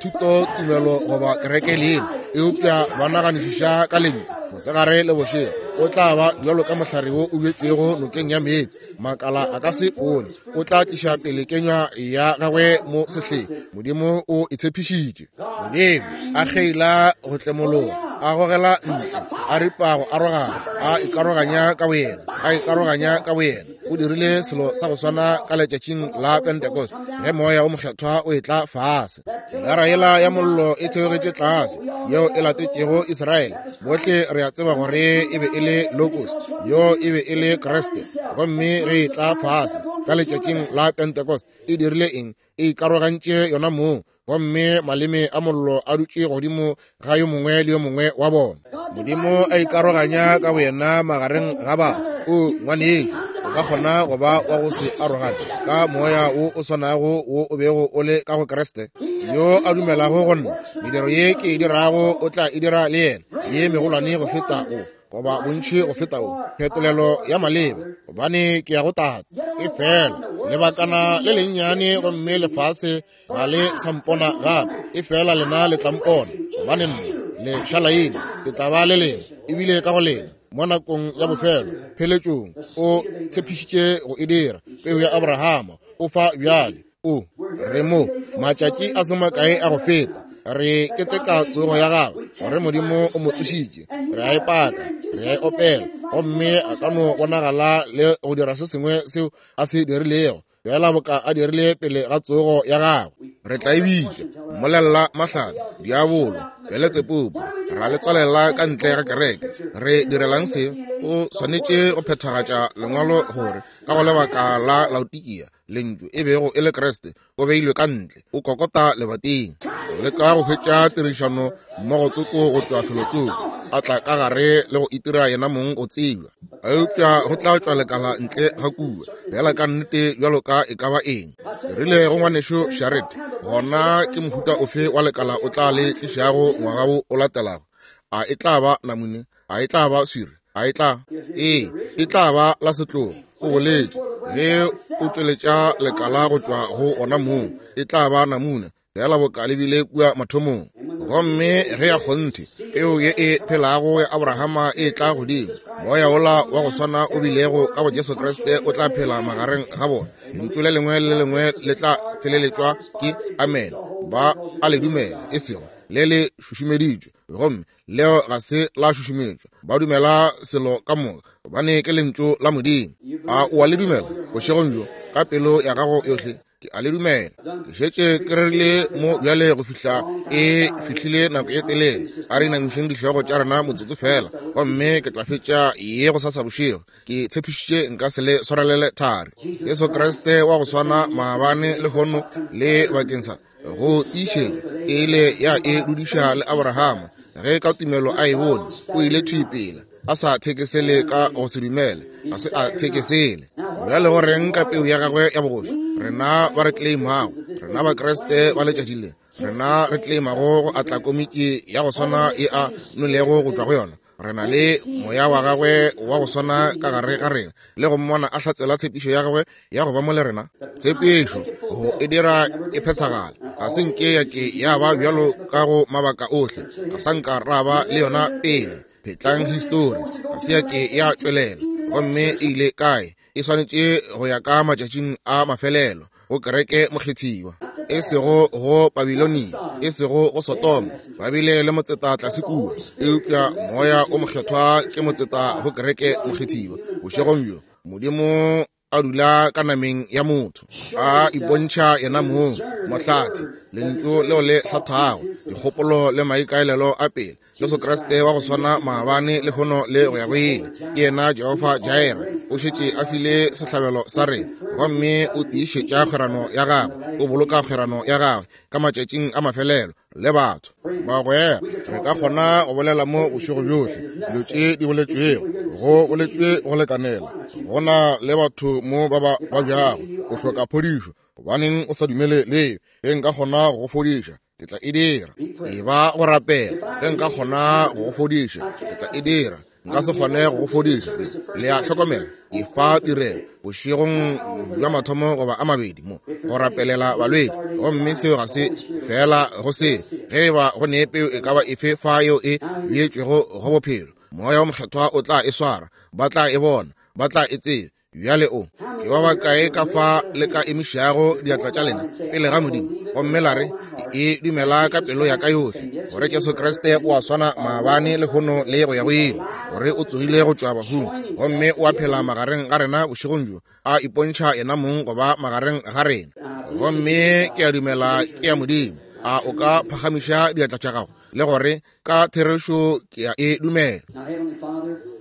thuto tumelo goba kereke leina, eupša ba naganišiša ka lentšu mosegare le bošego. O tla ba bjalo ka mohlare wo o bjetšego nokeng ya meetse, makala a ka se pone. O tla tliša pele kenywa ya gagwe mo sehleng. Modimo o e tshepišitše. Modimo a kgeila go tlemologa. a gogela ntle, a ripa go arogana, a ikaroganya ka boyena, a ikaroganya ka boyena. O dirile selo sa go swana ka letšatšing la Pentecost ge Moya o Mokgethwa o etla fase. Pilara yela ya mollo e theogetše tlase, yeo e latetšego Israele. Bohle re a tseba gore e be e le Logos, yo e be e le Kriste. Gomme ge e tla fase ka letšatšing la Pentecost, e dirile eng? E ikarogantše yona mong, gomme maleme a mollo a dutše godimo ga yo mongwe le yo mongwe wa bona. Modimo a ikaroganya ka boyena magareng ga batho. O ngwanešu, o ka kgona go ba wa go se arogane ka moya wo o swanago wo o bego o le ka go Kriste. Yo a dumelago go nna, mediro ye ke e dirago o tla e dira le yena, ye megolwane go feta o, goba bontši go feta o, phetolelo ya maleba, gobane ke ya go Tate. E fela lebakana le lennyane gomme lefase ga le sa mpona gape, e fela lena le tla mpona, gobane nna le šalaile, ke tla ba le lena ebile ka go lena mo nakong ya bofelo. Pheletšong o tshepišitše go e dira. Peu ya Abrahama o fa bjale. O re mo matšatši a se makae a go feta re keteka tsogo ya gagwe, gore Modimo o mo tsošitše. Re a e paka, re a e opela, gomme a ka no bonagala le go dira se sengwe seo a se dirilego, fela boka a dirile pele ga tsogo ya gagwe. Re tla e bitša mmolella mahlatse, diabolo, Beletsebubu, ra le tswalela ka ntle ga kereke. Re direlang se? O swanetše go phethagatša lengwalo gore ka go lebaka la Laodikia lentšu e bego e le Kriste o beilwe ka ntle, o kokota lebating, o leka go hwetša tirišano mmogo tsoko go tšwa felotsoko, a tla ka gare le go itira yena mong go tsebja. Eupša go tla tšwa lekala ntle ga kua, fela ka nnete bjalo ka e ka ba eng. Ke rile go ngwanešu Sharet, gona ke mohuta ofe wa lekala o tla le tlišago ngwaga wo o latelago? A e tla ba namune? A e tla ba swiri? A e tla? Ee, e tla ba la setlogo. O boletše ge o tšweletša lekala go tšwa go ona mong, e tla ba namune, fela boka le bile kua mathomong. Gomme ge ya kgonthe peo ye e phelago ya Abrahama e tla godimo, moya wola wa go swana o bilego ka go Jesu Kriste o tla phela magareng ga bona. Lentšu le lengwe le lengwe le tla feleletšwa ke amen. Ba a le dumela, e sego le le šušumeditšwe, gomme leo ga se la šušumetšwa. Ba dumela selo ka moka, gobane ke lentšu la Modimo. A o a le dumela bošegong bjo ka pelo ya gago yohle? Ke a le dumela. Ke šetše ke rerile mo bjale go fihla e fihlile nako e telele. A re inamišeng dihlogo tša rena motsotso fela, gomme ke tla fetša ye go sasa bošego. Ke tshepišitše nka se le swarelele thari. Jesu Kriste wa go swana maabane lehono le bakeng sa go tiišetša e ile ya e dudiša le Abrahama. Ge ka tumelo a e bone, o ile thwi pele, a sa thekesele ka go se dumele, ga se a thekesele. Bjale go reng ka peu ya gagwe ya bogoši? Rena ba re claimago, rena ba Kriste ba letšatši le, rena re claimago go atla komiki ya go swana e a nolego go tšwa go yona. Re na le moya wa gagwe wa go swana ka gare ga rena, le go mmona a hlatsela tshepišo ya gagwe ya go ba mo le rena. Tshepišo go e dira e phethagala, ga se nke ya ke ya ba bjalo ka go mabaka ohle, ga sa nka ra ba le yona pele. Phetlang histori, ga se ya ke ya tšwelela, gomme e ile kae? E swanetše go ya ka matšatšing a mafelelo go kereke mokgethiwa, e sego go Babilonia, e sego go Sodoma. Ba bile le motseta tlase kua, eupša moya o mokgethwa ke motseta go kereke mokgethiwa. Bošegong bjo Modimo a dula ka nameng ya motho, a ipontšha yena mong, mohlathi, lentšu leo le hlathago dikgopolo le maikaelelo a pele. Jesu Kriste wa go swana maabane lehono le go ya go ile, ke yena Jehofa Jireh. O šetše a file sehlabelo sa rena, gomme o tiišetša kgwerano ya gagwe, o boloka kgwerano ya gagwe ka matšatšing a mafelelo le batho. Bagwera, re ka kgona go bolela mo bošego bjohle dilo tše di boletšwego, go boletšwe go lekanela. Go na le batho mo ba ba babjago, o hloka phodišo. Gobaneng o sa dumele leo? Ge nka kgona go go fodiša, ke tla e dira. E ba go rapela, ge nka kgona go go fodiša, ke tla e dira. Nka se kgone go go fodiša. Le a hlokomela, ke fa tirelo bošegong bja mathomo goba a mabedi mo go rapelela balwetši, gomme seo ga se fela go se. Ge e ba go ne peo e ka ba efe fa yeo e beetšwego go bophelo, moya wa mokgethwa o tla e swara, ba tla e bona, ba tla e tseba. Bjale o ke ba bakae ka fa le ka emišago diatla tša lena pele ga Modimo, gomme la re, e dumela ka pelo ya ka yohle gore Jesu Kriste o a swana maabane, lehono le go ya go ile, gore o tsogile go tšwa bahung gomme o a phela magareng ga rena bošegong bjo, a ipontšha yena mong go ba magareng ga rena. Gomme ke a dumela ke ya Modimo. A o ka phagamiša diatla tša gago le gore ka therešo ke a e dumela?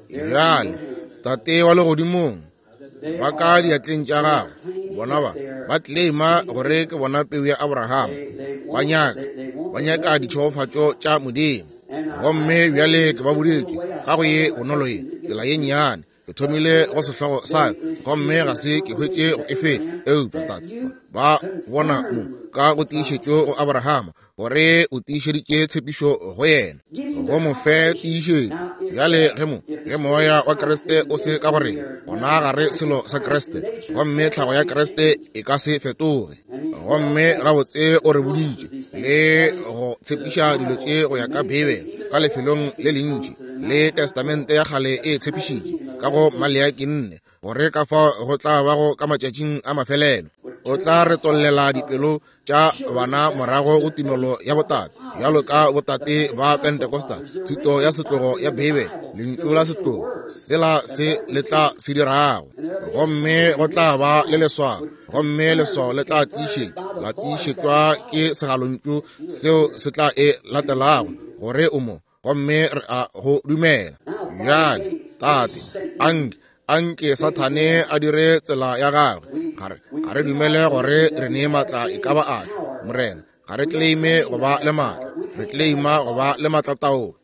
Bjale Tate wa legodimong, ba ka diatleng tša gago bona ba ba claima gore ke bona peu ya Abraham, ba nyaka ba nyaka ditšhegofatšo tša Modimo. Gomme bjale ke ba boditše ka go ye bonolo ye tsela ye nnyane, ke thomile go sehlogo sa gomme ga se ke hwetše go e feta, eupša Tate ba bona mo ka go tiišetšo go Abraham gore o tiišeditše tshepišo go yena, go mo fe tiišetšo. Bjale ge mo ge moya wa Kriste o se ka go rena, gona ga re selo sa Kriste, gomme tlhago ya Kriste e ka se fetoge. Gomme gabotse o re boditše le go tshepiša dilo tše go ya ka Bibele ka lefelong le lentši, le Testamente ya kgale e tshepišitše ka go Maleaki nne, gore ka fao go tla bago ka matšatšing a mafelelo o tla retollela dipelo tša bana morago go tumelo ya botate, bjalo ka botate ba Pentecostal, thuto ya setlogo ya Bibele, lentšu la setlogo, sela se le tla se dirago. Gomme go tla ba le leswao, gomme leswao le tla tiišetšwa, la tiišetšwa ke segalontšu seo se tla e latelago gore o mo, gomme re a go dumela. Bjale Tate, anke anke Sathane a dire tsela ya gagwe. Ga re ga re dumele gore re ne maatla e ka ba afe, Morena. Ga re claime go ba le maatla, re claima go ba le maatlataolo.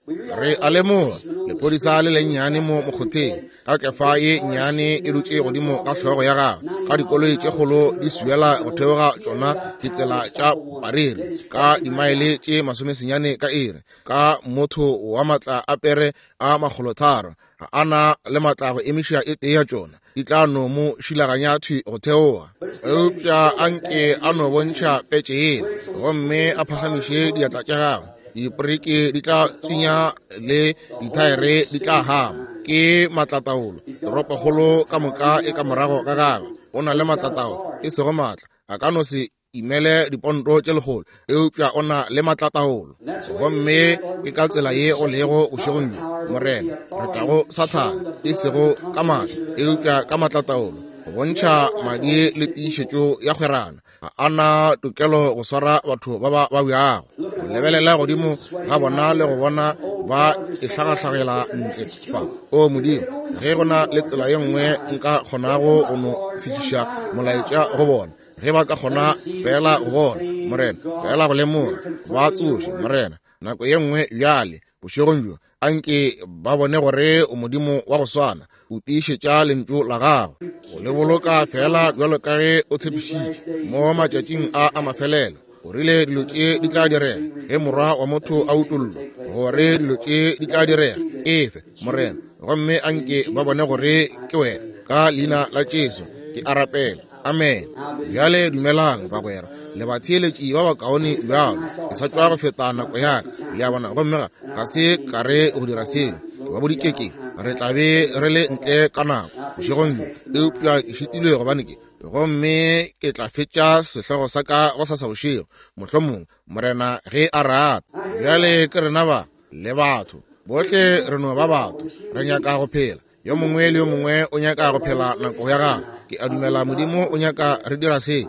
Re a lemoga lephodisa le lennyane mo mokgotheng ka kefa ye nnyane e dutše godimo ga hlogo ya gagwe, ka dikoloi tše kgolo di swiela go theoga tšona ditsela tša bareri ka dimaele tše masomesenyane ka iri, ka motho wa maatla a pere a makgolotharo, ga a na le maatla go emiša e tee ya tšona, di tla no mo šilaganya thwi go theoga. Eupša anke a no bontšha petše yela gomme a phagamiše diatla tša gagwe, diporeke di tla tswinya le dithaere di tla hama. Ke maatlataolo, toropokgolo ka moka e ka morago ga gagwe. O na le maatlataolo, e sego maatla, a ka no se imele diponto tše lekgolo, eupša o na le maatlataolo. Gomme ke ka tsela ye o lego bošegong bjo, Morena, re tla go Sathane, e sego ka maatla, eupša ka maatlataolo, go bontšha madi le tiišetšo ya kgwerano. Ga a na tokelo go swara batho ba ba babjago, go lebelela godimo ga bona le go bona ba e hlagahlagela ntle fa. O Modimo, ge go na le tsela ye nngwe nka kgonago go no fihliša molaetša go bona, ge ba ka kgona fela go bona, Morena, fela go lemoga, ba tsoše, Morena, nako ye nngwe bjale bošegong bjo, anke ba bone gore o Modimo wa go swana, o tiišetša lentšu la gago, o le boloka fela bjalo ka ge o tshepišitše mo matšatšing a a mafelelo. O rile dilo tše di tla direga ge morwa wa motho a utollwa, gore dilo tše di tla direga. Efe, Morena, gomme anke ba bone gore ke wena. Ka leina la Jesu ke a rapela, amen. Bjale dumelang bagwera le batheeletši ba bakaone bjalo. Ke sa tšwa go feta nako ya ka, le a bona, gomme ga ga se ka re go dira seo. Ke ba boditše ke re tla be re le ntle ka nako bošegong bjo, eupša ke šitilwe gobane ke gomme ke tla fetša sehlogo sa ka go sasa bošego, mohlomong, Morena ge a rata. Bjale ke rena ba le batho bohle, re no ba batho, re nyaka go phela. Yo mongwe le yo mongwe o nyaka go phela nako ya gagwe. Ke a dumela Modimo o nyaka re dira se,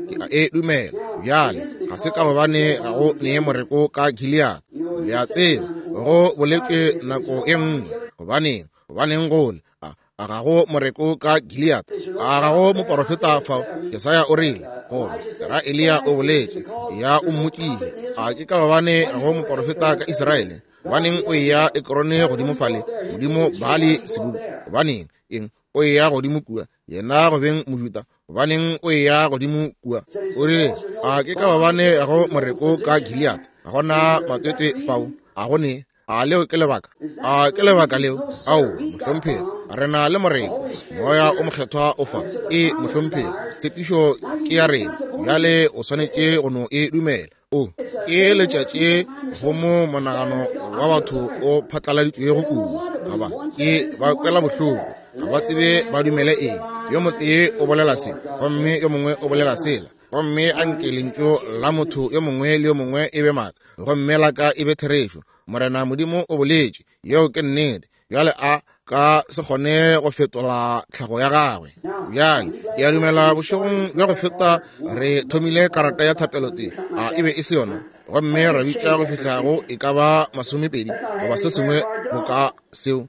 ke a e dumela. Bjale ga se ka gobane ga go nee moreko ka Gilead, le a tseba, go boletšwe nako e nngwe. Gobaneng gobaneng gole a a ga go moreko ka Gilead? A ga go moporofeta fao? Jesaya o rile, goba ra Eliya o boletše, ya o mmotšile. A ke ka gobane ga go moporofeta ka Israele? Gobaneng o eya Ekrone godimo fale, modimo Baali Sebubu? Gobaneng eng o eya godimo kua, yena go beng Mojuda? Gobaneng o eya godimo kua? O rile, a ke ka gobane ga go moreko ka Gilead? Ga gona matwetwe fao, a go ne? A leo ke lebaka? A ke lebaka leo? Ao, mohlomphegi, re na le moreko, moya o mokgethwa o fa. E, mohlomphegi, tshepišo ke ya rena. Bjale o swanetše go no e dumela. O ke letšatši go mo monagano wa batho o phatlaladitšwego kudu, ga ba ke ba kwela bohloko, ga ba tsebe ba dumele eng. Yo motee o bolela se, gomme yo mongwe o bolela sela. Gomme a nke lentšu la motho yo mongwe le yo mongwe e be maaka, gomme la ka e be therešo. Morena Modimo o boletše, yeo ke nnete. Bjale a ka se kgone go fetola tlhago ya gagwe. Bjale ke a dumela bošegong bja go feta re thomile karata ya thapelo tee, a e be e se yona, gomme ra bitša go fihla go e ka ba masomepedi goba se sengwe boka seo.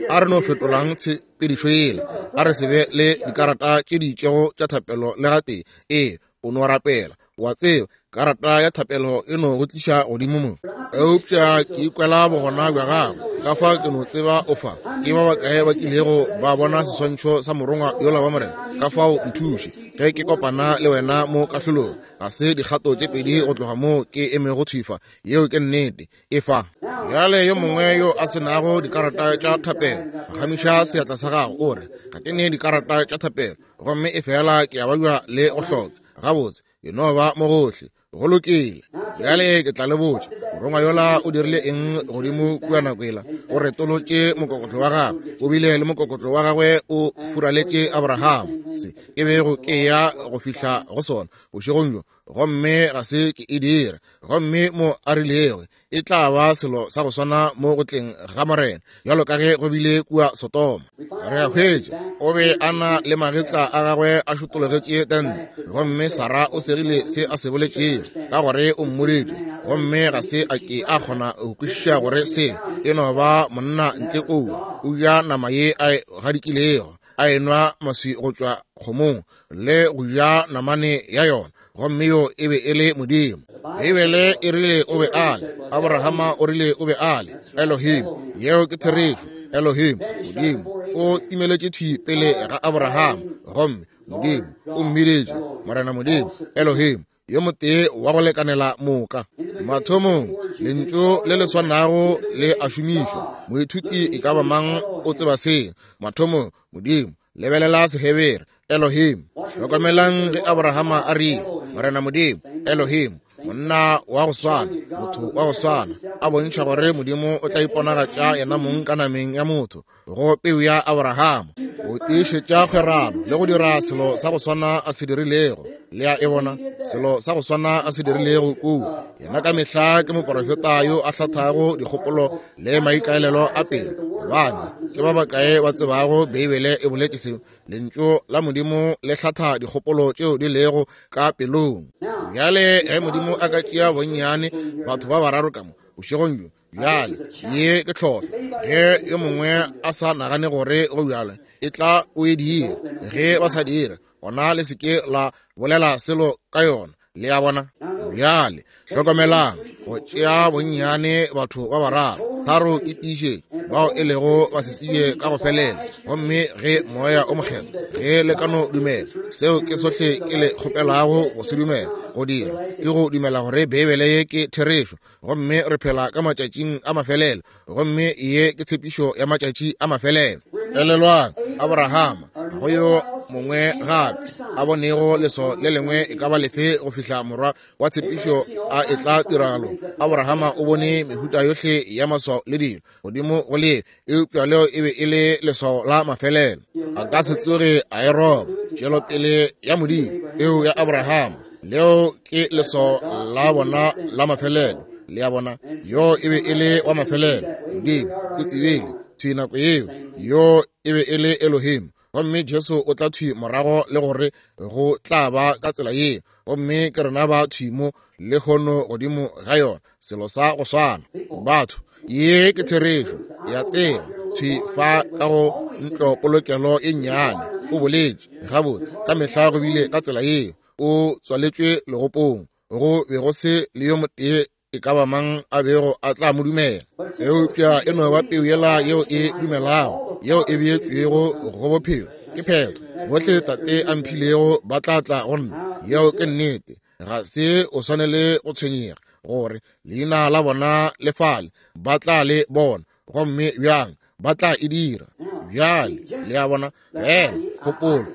A re no fetolang tshepedišo yela, a re se be le dikarata tše di itšego tša thapelo le gatee. Ee, o no rapela, wa tseba, karata ya thapelo e no go tliša godimo mo. Eupša ke ikwela bogona bja gago, ka fa ke no tseba o fa. Ke ba bakae ba kilego ba bona seswantšho sa morongwa yola wa Morena? Ka fao nthuše ge ke kopana le wena mo kahlolong. Ga se dikgato tše pedi go tloga mo ke emego thwifa. Yeo ke nnete. E fa. Bjale yo mongwe yo a se nago dikarata tša thapelo, phagamiša seatla sa gago o re, ga ke ne dikarata tša thapelo, gomme e fela ke a babja le go hloka. Gabotse, ke no ba mo gohle. Go lokile. Bjale ke tla le botša, morongwa yola o dirile eng godimo kua nako ela? O retolotše mokokotlo wa gagwe, o bile le mokokotlo wa gagwe o furaletše Abraham. Se ke bego ke ya go fihla go sona bošegong bjo, gomme ga se ke e dira. Gomme mo a rilego e tla ba selo sa go swana mo go tleng ga Morena, bjalo ka ge go bile kua Sodoma. Re a hwetša o be a na le magetla a gagwe a šotologetše tente, gomme Sara o segile se a se boletšego, ka gore o mmoditše, gomme ga se a ke a kgona go kwešiša gore se e no ba monna ntle kua o ja nama ye a e gadikilego, a enwa maswi go tšwa kgomong le go ja namane ya yona, gomme yo e be e le Modimo. Beibele e rile o be a le, Abrahama o rile o be a le Elohim. Yeo ke therešo. Elohim, Modimo, o timeletše thwi pele ga Abrahama, gomme Modimo o mmiditše Morena Modimo, Elohim, yo motee wa go lekanela moka. Mathomong lentšu le le swanago le a šomišwa. Moithuti e ka ba mang o tseba seo. Mathomong Modimo, lebelela Sehebere, Elohim. Hlokomelang ge Abrahama a rile, Morena Modimo, Elohim, monna wa go swana, motho wa go swana, a bontšha gore Modimo o tla iponagatša yena mong ka nameng ya motho go peu ya Abrahama, go tiišetša kgwerano le go dira selo sa go swana a se dirilego. Le a e bona, selo sa go swana a se dirilego kua. Yena ka mehla ke moporofeta yo a hlathago dikgopolo le maikaelelo a pelo, gobane ke ba bakae ba tsebago Beibele e boletše seo? Lentšu la Modimo le hlatha dikgopolo tšeo di lego ka pelong. Bjale ge Modimo a ka tšea bonnyane batho ba bararo ka mo bošegong bjo, bjale ye ke tlhohlo. Ge yo mongwe a sa nagane gore go bjalo, e tla o e dira. Ge ba sa dira, gona le se ke la bolela selo ka yona. Le a bona? Bjale hlokomelang, go tšea bonnyane batho ba bararo, tharo ke tiišetšo, bao e lego ba se tsebje ka go felela. Gomme ge Moya o Mokgethwa, ge le ka no dumela, seo ke sohle ke le kgopelago go se dumela, go dira ke go dumela gore Beibele ye ke therešo, gomme re phela ka matšatšing a mafelelo, gomme ye ke tshepišo ya matšatši a mafelelo. Elelwang, Abrahama, ga go yo mongwe gape a bonego leso le lengwe e ka ba lefe go fihla morwa wa tshepišo a etla tiragalong. Abrahama o bone mehuta yohle ya maswao le dilo godimo go le, eupša leo e be e le leswao la mafelelo. A ka se tsoge a e roba. Tšwelopele ya Modimo, eo ya Abrahama, leo ke leswao la bona la mafelelo. Le a bona, yo e be e le wa mafelelo. Modimo o tsebile thwi nako yeo, yo e be e le Elohim. Gomme Jesu o tla thwi morago le gore go tla ba ka tsela yeo, gomme ke rena ba thwi mo lehono godimo ga yona, selo sa go swana. Batho, ye ke therešo ya tseba thwi fa ka go ntlo polokelo e nnyane. O boletše gabotse, ka mehla go bile ka tsela yeo. O tswaletšwe legopong, go be go se le yo motee e ka ba mang a bego a tla mo dumela. Eupša e no ba peu yela yeo e dumelago, yeo e beetšwego go bophelo. Ke phetho. Bohle Tate a mphilego ba tla tla go nna. Yeo ke nnete. Ga se o swanele go tshwenyega gore leina la bona le fale, ba tla le bona. Gomme bjang Ba tla e dira. Bjale, le a bona, fela kgopolo.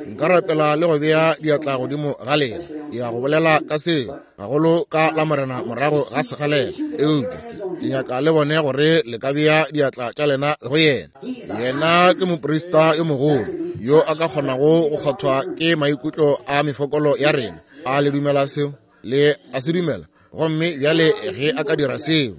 Nka rapela le go bea diatla godimo ga lena. Ke ya go bolela ka seo, gagolo ka la Morena morago ga segalela. Eupša ke nyaka le bone gore le ka bea diatla tša lena go yena. Yena ke moprista yo mogolo yo a ka kgonago go kgothwa ke maikutlo a mefokolo ya rena. A le dumela seo? Le a se dumela? Gomme bjale ge a ka dira seo,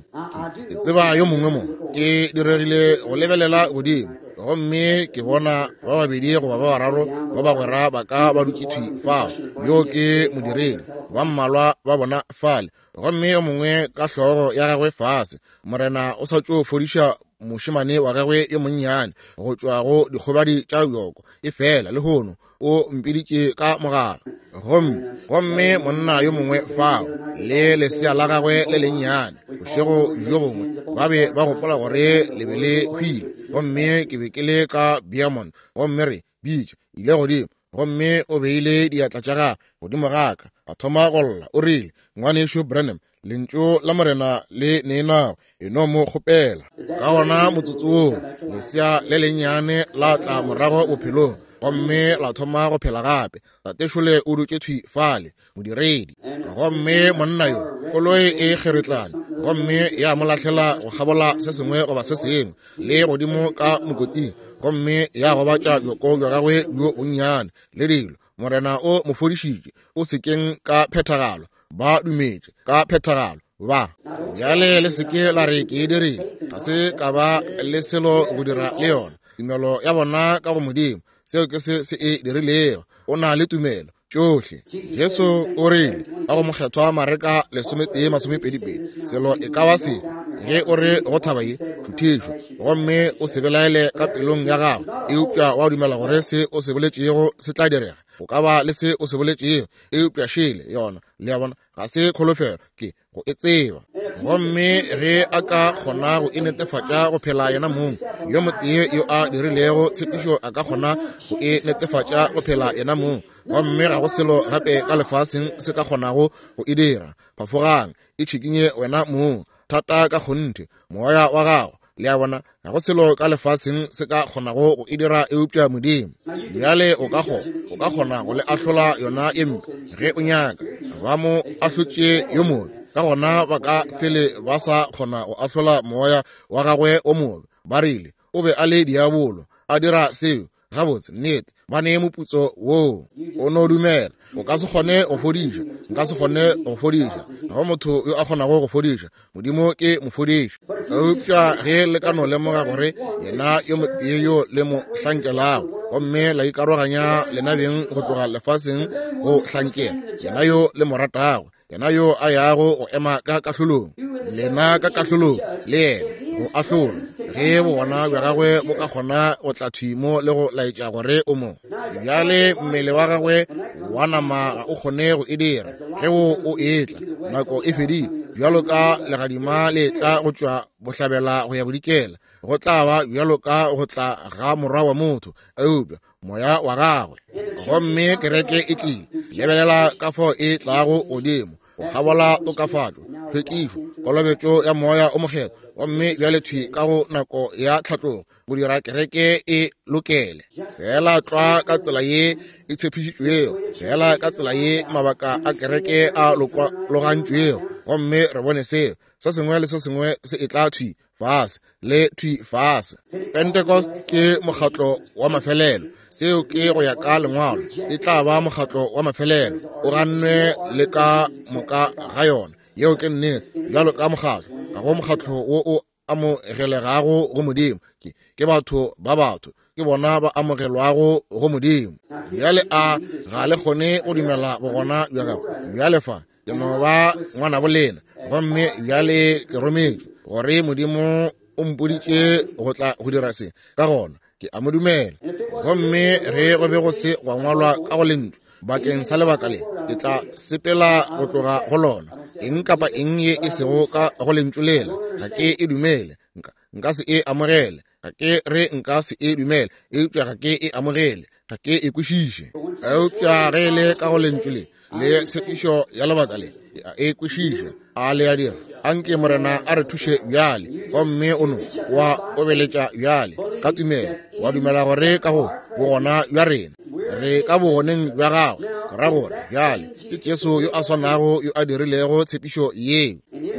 ke tseba yo mongwe mo ke diregile go lebelela godimo, gomme ke bona ba babedi goba ba bararo ba bagwera ba ka ba dutše thwi fao. Yo ke modiredi, ba mmalwa ba bona fale, gomme yo mongwe ka hlogo ya gagwe fase. Morena o sa tšo fodiša mošemane wa gagwe yo monnyane go tšwa go dikgobadi tša bjoko, efela lehono o mpiditše ka mogala. Gomme gomme monna yo mongwe fao le lesea la gagwe le lennyane, bošego bjo bongwe ba be ba gopola gore le be le hwile, gomme ke be ke le ka Beaumont, gomme re bitša ile godimo, gomme o beile diatla tša gagwe godimo ga ka, a thoma go lla. O rile, Ngwanešu Branham, lentšu la Morena le neenago, e no mo kgopela. Ka gona motsotso woo lesea le lennyane la tla morago bophelong, gomme la thoma go phela gape. Tatešole o dutše thwi fale, modiredi. Gomme monna yo, koloi e kgeretlane, gomme ya mo lahlela go kgabola se sengwe goba se sengwe, le godimo ka mokoting, gomme ya gobatša bjoko bja gagwe bjo bonnyane le dilo. Morena o mo fodišitše, o sekeng ka phethagalo. Ba dumetše ka phethagalo. Ba bjale le seke la re ke e dirile, ga se ka ba le selo go dira le yona. Tumelo ya bona ka go Modimo, seo ke se se e dirilego. O na le tumelo tšohle. Jesu o rile ka go mokgethwa Mareka lesometee masomepedi pedi, selo e ka ba se, ge o re go thaba ye, thuthišwa, gomme o se belaele ka pelong ya gago, eupša wa dumela gore se o se boletšego se tla direga, o ka ba le se o se boletšego, eupša šele yona. Le a bona, ga se kholofelo, ke go e tseba. Gomme ge a ka kgona go e netefatša go phela yena mong, yo motee yo a dirilego tshepišo a ka kgona go e netefatša go phela yena mong, gomme ga go selo gape ka lefaseng se ka kgonago go e dira. Phafogang, e tšhikinye wena mong, thata ka kgonthe, moya wa gago. Le a bona, ga go selo ka lefaseng se ka kgonago go e dira eupša Modimo. Bjale o ka kgona, o ka kgona go le ahlola yona ye mpe ge o nyaka. Ba mo ahlotše yo mobe, ka gona ba ka fele ba sa kgona go ahlola moya wa gagwe o mobe. Ba rile o be a le diabolo, a dira seo. Gabotse, nnete, ba nee moputso woo. O no dumela. O ka se kgone go fodiša, nka se kgone go fodiša. Ga go motho yo a kgonago go fodiša. Modimo ke mofodiši. Eupša ge le ka no lemoga gore yena yo motee yo le mo hlankelago, gomme la ikaroganya lena beng go tloga lefaseng go hlankela yena yo le mo ratago, yena yo a yago go ema ka kahlolong, lena ka kahlolong le yena go ahlola, ge bogona bja gagwe bo ka kgona go tla thwi mo le go laetša gore o mo. Bjale mmele wa gagwe wa nama ga o kgone go e dira. Ge wo o etla, nako e fedile. Bjalo ka legadima le tla go tšwa bohlabela go ya bodikela, go tla ba bjalo ka go tla ga morwa wa motho, eupša moya wa gagwe. Gomme kereke e tlile, lebelela ka fao e tlago godimo go kgabola tokafatšo, tlhwekišo, kolobetšo ya moya o mokgethwa, gomme bjale thwi ka go nako ya tlhatlogo go dira kereke e lokele. Fela tlwa ka tsela ye e tshepišitšwego, fela ka tsela ye mabaka a kereke a logantšwego, gomme re bone seo se sengwe le se sengwe se e tla thwi fase le thwi fase. Pentecost ke mokgatlo wa mafelelo. Seo ke go ya ka lengwalo, e tla ba mokgatlo wa mafelelo, o gannwe le ka moka ga yona. Yeo ke nnete. Bjalo ka mokgatlo, ga go mokgatlo wo o amogelegago go Modimo. Ke, ke batho ba batho, ke bona ba amogelwago go Modimo. Bjale a ga le kgone go dumela bogona bja gagwe? Bjale fa ke no ba ngwana bolena, gomme bjale ke rometšwe gore Modimo o mpoditše go tla go dira se, ka gona ke a mo dumela. Gomme ge go be go se gwa ngwalwa ka go lentšu bakeng sa lebaka le, ke tla sepela go tloga go lona. Eng kapa eng ye e sego ka go lentšu lela, ga ke e dumele, nka, nka se e amogele. Ga ke re nka se e dumele, eupša ga ke e amogele, ga ke e kwešiše. Eupša ge e le ka go lentšu le, le tshepišo ya lebaka le, ke a e kwešiša. A le a dira? Anke Morena a re thuše bjale. Gomme o no wa obeletša bjale ka tumelo, wa dumela gore ka go bogona bja rena re ka bogoneng bja gagwe. Ke ra gore bjale ke Jesu yo a swanago yo a dirilego tshepišo yeo.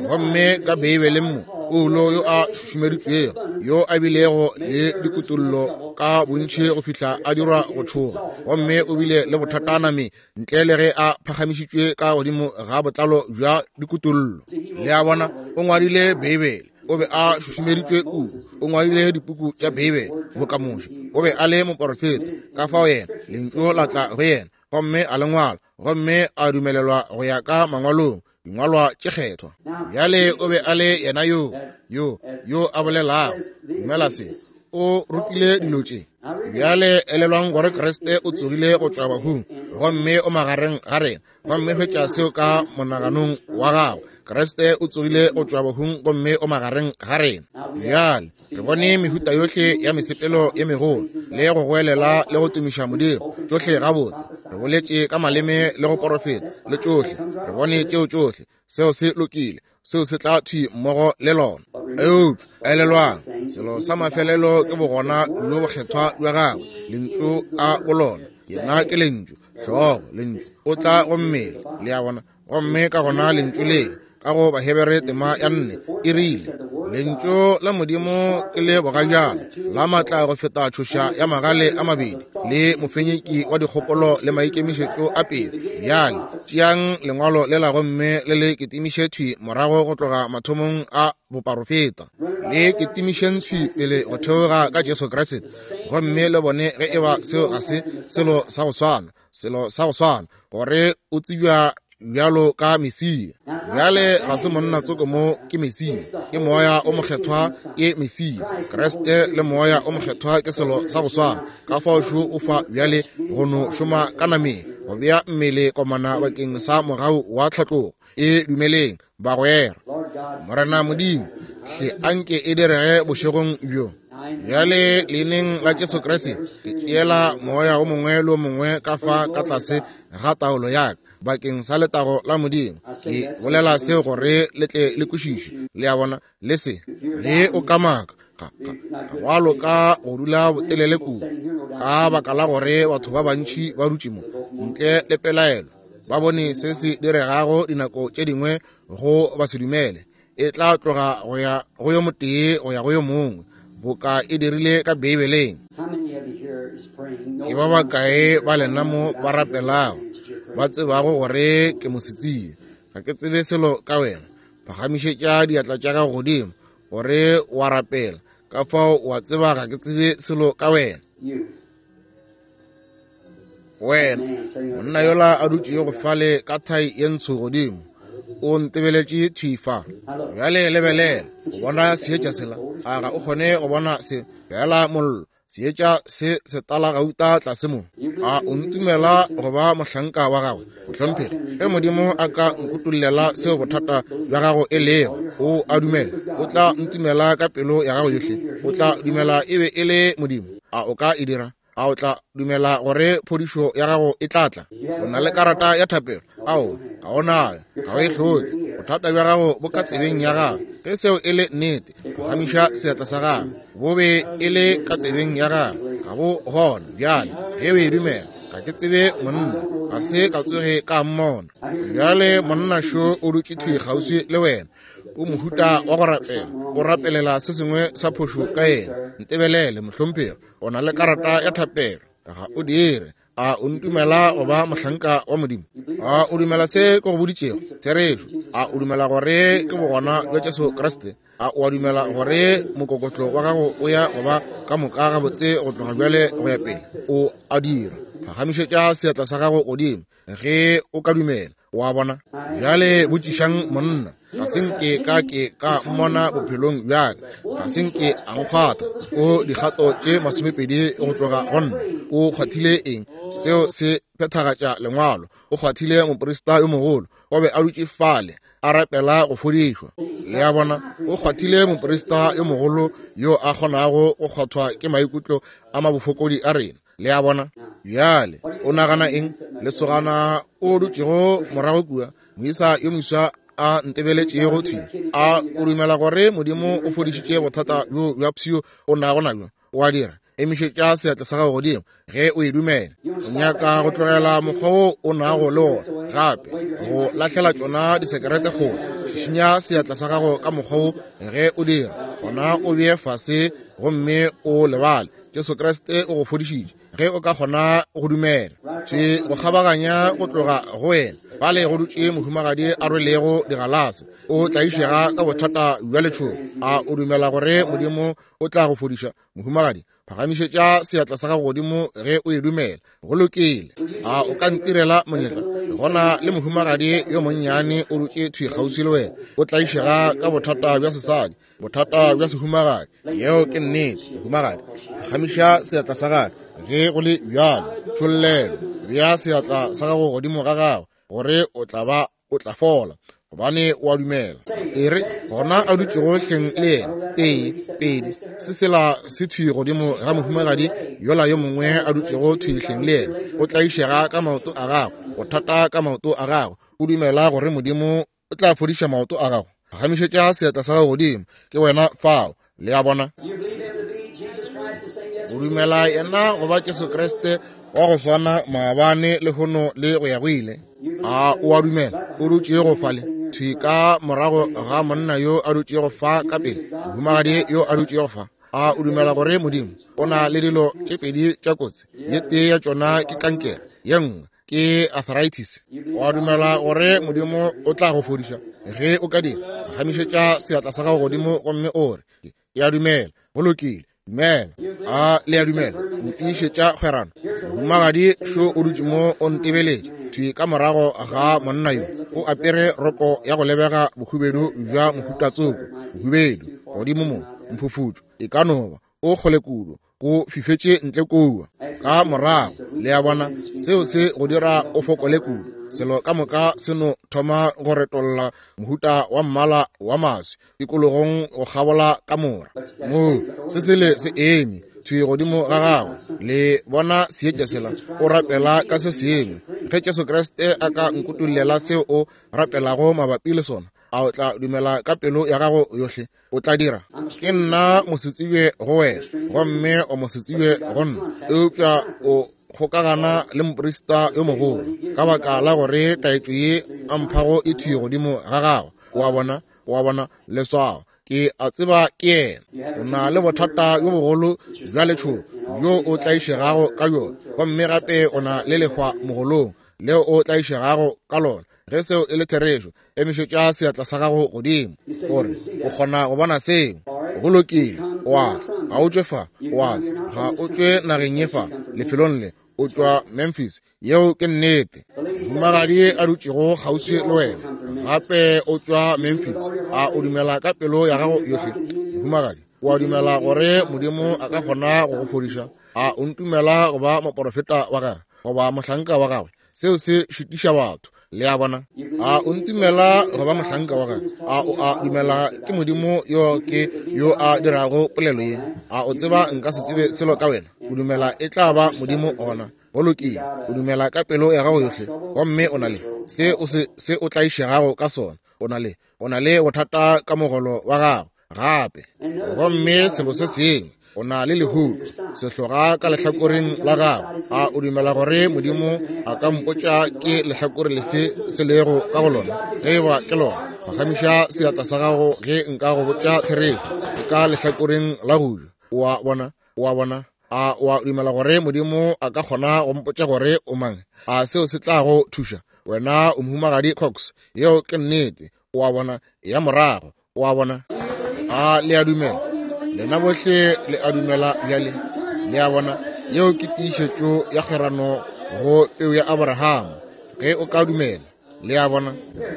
Gomme ka Beibeleng mo Paulo yo a šušumeditšwego, yo a bilego le dikutullo ka bontši go fihla a dirwa go tšhoga, gomme o bile le bothata nameng ntle le ge a phagamišitšwe ka godimo ga botlalo bja dikutullo. Le a bona, o ngwadile Beibele, o be a šušumeditšwe kudu, o ngwadile dipuku tša Beibele boka Moshe, o be a le moporofeta, ka fao yena lentšu la tla go yena gomme a le ngwala, gomme a dumelelwa go ya ka mangwalong, dingwalwa tše kgethwa. Bjale o be a le yena yo yo yo a bolelago, dumela se, o rutile dilo tše. Bjale elelwang gore Kriste o tsogile go tšwa bahung gomme o magareng ga rena, gomme hwetša seo ka monaganong wa gago. Kriste o tsogile go tšwa bahung gomme o magareng ga rena. Bjale re bone mehuta yohle ya mesepelo ye megolo le go goelela le go tumiša Modimo, tšohle gabotse. Re boletše ka maleme le go porofeta le tšohle, re bone tšeo tšohle. Seo se lokile, seo se tla thwi mmogo le lona. Eupša elelwang, selo sa mafelelo ke bogona bjo bokgethwa bja gagwe, lentšu a bolona. Yena ke lentšu, hlogo, lentšu o tla go mmele, le a bona. Gomme ka gona lentšu le ka go Bahebere tema ya nne e rile, lentšu la Modimo ke le bogajana la matla go feta tšhoša ya magale a mabedi le mofenyeki wa dikgopolo le maikemišetšo a pelo. Bjale tšeang lengwalo lela gomme le le ketimiše thwi morago go tloga mathomong a boporofeta, le ketimišeng thwi pele go theoga ka Jesu Kriste, gomme le bone ge eba seo ga se selo sa go swana, selo sa go swana, gore o tsebja bjalo ka Mesia. Bjale ga se monna tsoko mo, ke Mesia, ke Moya o Mokgethwa, ke Mesia. Kriste le Moya o Mokgethwa ke selo sa go swana. Ka fao šo o fa bjale go no šoma ka nameng, go bea mmele komana bakeng sa mogau wa tlhatlogo. E dumeleng, bagwera. Morena Modimo, hle anke e direge bošegong bjo. Bjale leineng la Jesu Kriste ke tšeela moya o mongwe le o mongwe ka fa ka tlase ga taolo ya ka bakeng sa letago la Modimo. Ke bolela seo gore le tle le kwešiše, le a bona, le se le o kamaka ga ga ga loka go dula botelele kudu, ka baka la gore batho ba bantši ba dutše mo ntle le pelaelo, ba bone se se diregago dinako tše dingwe go ba se dumele. E tla tloga go ya go yo motee go ya go yo mongwe, boka e dirile ka Beibeleng. Ke ba bakae ba lena mo ba rapelago, ba tsebago gore ke mosetsebje, ga ke tsebe selo ka wena? Phagamišetša diatla tša gago godimo gore wa rapela, ka fao wa tseba ga ke tsebe selo ka wena. Wena monna yola a dutšego fale ka thai ye ntsho godimo, o ntebeletše thwi fa. Bjale lebelela, o bona seetša sela? A ga o kgone go bona se? Bjala mollo, seetša se setala gauta tlase mo. A o ntumela go ba mohlanka wa gagwe? Mohlomphegi, ge Modimo a ka nkutollela seo bothata bja gago e lego, o a dumela, o tla ntumela ka pelo ya gago yohle, o tla dumela e be e le Modimo. A o ka e dira? A o tla dumela gore phodišo ya gago e tla tla? O na le karata ya thapelo? Ao, ga o nayo, ga o e hloke. Bothata bja gago bo ka tsebeng ya gago. Ge seo e le nnete, phagamiša seatla sa gago. Bo be e le ka tsebeng ya gago, ga bo gona bjale. Ge o e dumela, ga ke tsebe monna, ga se ka tsoge ka mmona. Bjale monna šo o dutše thwi kgauswi le wena, o mohuta wa go rapela, o rapelela se sengwe sa phošo ka yena. Ntebelele, mohlomphegi, o na le karata ya thapelo, ga o dire. A o ntumela go ba mohlanka wa Modimo? A o dumela se ke go boditšego therešo? A o dumela gore ke bogona bja Jesu Kriste? A o a dumela gore mokokotlo wa gago o ya go ba ka moka gabotse go tloga bjale go ya pele? O a dira. Phagamišetša seatla sa gago godimo ge o ka dumela. Wa bona? Bjale botšišang monna, ga se nke ka ke ka mmona bophelong bja ka, ga se nke a nkgwatha. O dikgato tše masomepedi go tloga go nna. O kgwathile eng? Seo se phethagatša lengwalo. O kgwathile moprista yo mogolo, o be a dutše fale a rapela go fodišwa. Le a bona, o kgwathile moprista yo mogolo yo a kgonago go kgwathwa ke maikutlo a mabofokodi a rena. Le a bona? Bjale o nagana eng? Lesogana o dutšego morago kua, moisa yo moswa a ntebeletšego thwi, a o dumela gore Modimo o fodišitše bothata bjo bja pshio o nago nabjo? O a dira? Emišetša seatla sa gago godimo ge o e dumela. O nyaka go tlogela mokgwa wo o nago le wona gape, go lahlela tšona disekerete kgole. Šišinya seatla sa gago ka mokgwa wo ge o dira, gona o bee fase gomme o lebale. Jesu Kriste o go fodišitše ge o ka kgona go dumela. Thwi go kgabaganya go tloga go wena bale go dutše mohumagadi a rwelego digalase, o tlaišega ka bothata bja letšhogo. A o dumela gore Modimo o tla go fodiša, mohumagadi? Phagamišetša seatla sa gago godimo ge o e dumela. Go lokile. A o ka ntirela monyetla? Gona le mohumagadi yo monnyane o dutše thwi kgauswi le wena, o tlaišega ka bothata bja sesadi, bothata bja sehumagadi. Yeo ke nnete, mohumagadi. Phagamiša seatla sa gago ge go le bjalo. Tšhollelo, bea seatla sa gago godimo ga gago gore o tla ba o tla fola, gobane o a dumela. E re gona a dutšego hleng le yena, tee, pedi, se sela se thwi godimo ga mohumagadi yola yo mongwe a dutšego thwi hleng le yena, o tlaišega ka maoto a gago, bothata ka maoto a gago. O dumela gore Modimo o tla fodiša maoto a gago? Phagamišetša seatla sa gago godimo. Ke wena fao. Le a bona? O dumela yena go ba Jesu Kriste wa go swana maabane, lehono le go ya go ile? A o a dumela? O dutšego fale thwi ka morago ga monna yo a dutšego fa ka pele, mohumagadi yo a dutšego fa. A o dumela gore Modimo o na le dilo tše pedi tša kotsi? Ye tee ya tšona ke kankere, ye nngwe ke arthritis. O a dumela gore Modimo o tla go fodiša ge o ka dira? Phagamišetša seatla sa gago godimo gomme o re, ke a dumela. Go lokile, dumela. A le a dumela? O tiišetša kgwerano. Mohumagadi šo o dutše mo o ntebeletše thwi ka morago ga monna yo, o apere roko ya go lebega bohubedu bja mohutatsoko, bohubedu godimo mo, mphufutšo e ka no ba o kgole kudu, go fifetše ntle kua ka morago. Le a bona, seo se go dira o fokole kudu. Selo ka moka se no thoma go retolla mohuta wa mmala wa maswi tikologong go kgabola kamora. Moo se sele se eme thwi godimo ga gagwe. Le bona seetša sela? O rapela ka se sengwe. Ge Jesu Kriste a ka nkutollela seo o rapelago mabapi le sona, a o tla dumela ka pelo ya gago yohle? O tla dira. Ke nna mosetsebje go wena, gomme o mosetsebje go nna, eupša o kgokagana le moprista yo mogolo ka baka la gore taetšo ye a mphago e thwi godimo ga gago. O a bona? O a bona leswao? Ke a tseba ke yena. O na le bothata bjo bogolo bja letšhogo bjo o tlaišegago ka bjona, gomme gape o na le lehwa mogolong leo o tlaišegago ka lona. Ge seo e le therešo, emišetša seatla sa gago godimo gore o kgona go bona seo. Go lokile. O a tla, ga o tšwe fa. O a tla, ga o tšwe nageng ye fa, lefelong le. O tšwa Memphis. Yeo ke nnete. Mohumagadi a dutšego kgauswi le wena gape o tšwa Memphis. A o dumela ka pelo ya gago yohle, mohumagadi? O a dumela gore Modimo a ka kgona go go fodiša? A o ntumela go ba moporofeta wa gagwe goba mohlanka wa gagwe? Seo se šitiša batho. Le a bona? A o ntumela go ba mohlanka wa gagwe? A o a dumela ke Modimo yo ke yo a dirago polelo ye? A o tseba nka se tsebe selo ka wena? O dumela e tla ba Modimo gona? Go lokile. O dumela ka pelo ya gago yohle, gomme o na le se o se se o tlaišegago ka sona. O na le o na le bothata ka mogolo wa gago gape, gomme selo se sengwe, o na le lehuto sehloga ka lehlakoreng la gago. A o dumela gore Modimo a ka mpotša ke lehlakore lefe se lego ka go lona? Ge e ba ke lona, phagamiša seatla sa gago ge nka go botša therešo. E ka lehlakoreng la go ja. O a bona? O a bona? A o a dumela gore Modimo a ka kgona go mpotša gore o mang? A seo se tla go thuša? Wena o mohumagadi Cox. Yeo ke nnete. O a bona? Ya morago. O a bona? A le a dumela? Lena bohle le a dumela bjale? Le a bona? Yeo ke tiišetšo ya kgwerano go peu ya Abrahama, ge o ka dumela. Le a bona?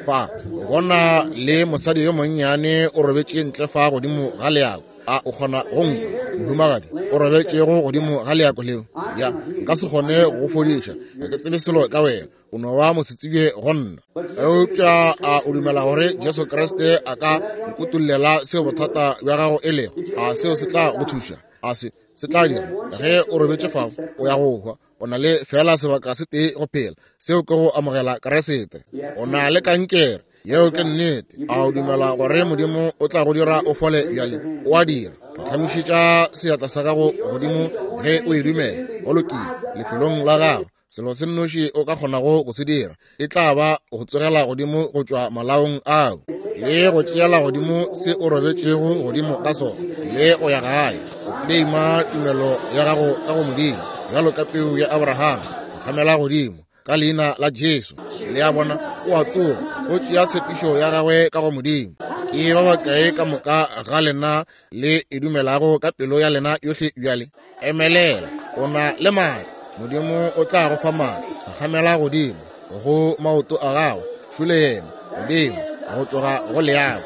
Fa gona le mosadi yo monnyane o robetše ntle fa godimo ga leako. A o kgona go nkwa, mohumagadi? O robetšego godimo ga leako leo? Ya, nka se kgone go go fodiša, ga ke tsebe selo ka wena, o no ba mosetsebje go nna. Eupša a o dumela gore Jesu Kriste a ka nkutollela seo bothata bja gago e lego? A seo se tla go thuša? A se se tla dira? Ge o robetše fao, o ya go hwa. O na le fela sebaka se tee go phela, seo ke go amogela Kriste. O na le kankere. Yeo ke nnete. A o dumela gore Modimo o tla go dira o fole bjale? O a dira. Phagamišetša seatla sa gago godimo ge o e dumela. Go lokile, lefelong la gago. Selo se nnoši o ka kgonago go se dira e tla ba go tsogela godimo go tšwa malaong ao le go tšeela godimo se o robetšego godimo ka sona le go ya gae. O kleima tumelo ya gago ka go Modimo bjalo ka peu ya Abraham. Phagamela godimo ka leina la Jesu. Le a bona, o a tsoga, o tšea tshepišo ya gagwe ka go Modimo. Ke ba bakae ka moka ga lena le e dumelago ka pelo ya lena yohle bjale? Emelela, o na le maatla. Modimo o tla go fa maatla. Phagamela godimo go maoto a gago, šole yena godimo go tloga go leago.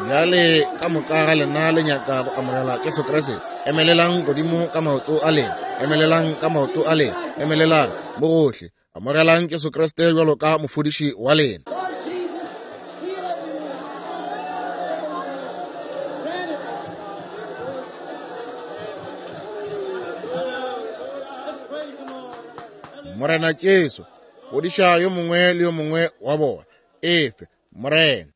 Bjale ka moka ga lena le nyaka go amogela Jesu Kriste, emelelang godimo ka maoto a lena. Emelelang ka maoto a lena. Emelelang mo gohle. Amogelang Jesu Kriste bjalo ka mofodiši wa lena. Morena Jesu, fodiša yo mongwe le yo mongwe wa bona. Efe, Morena.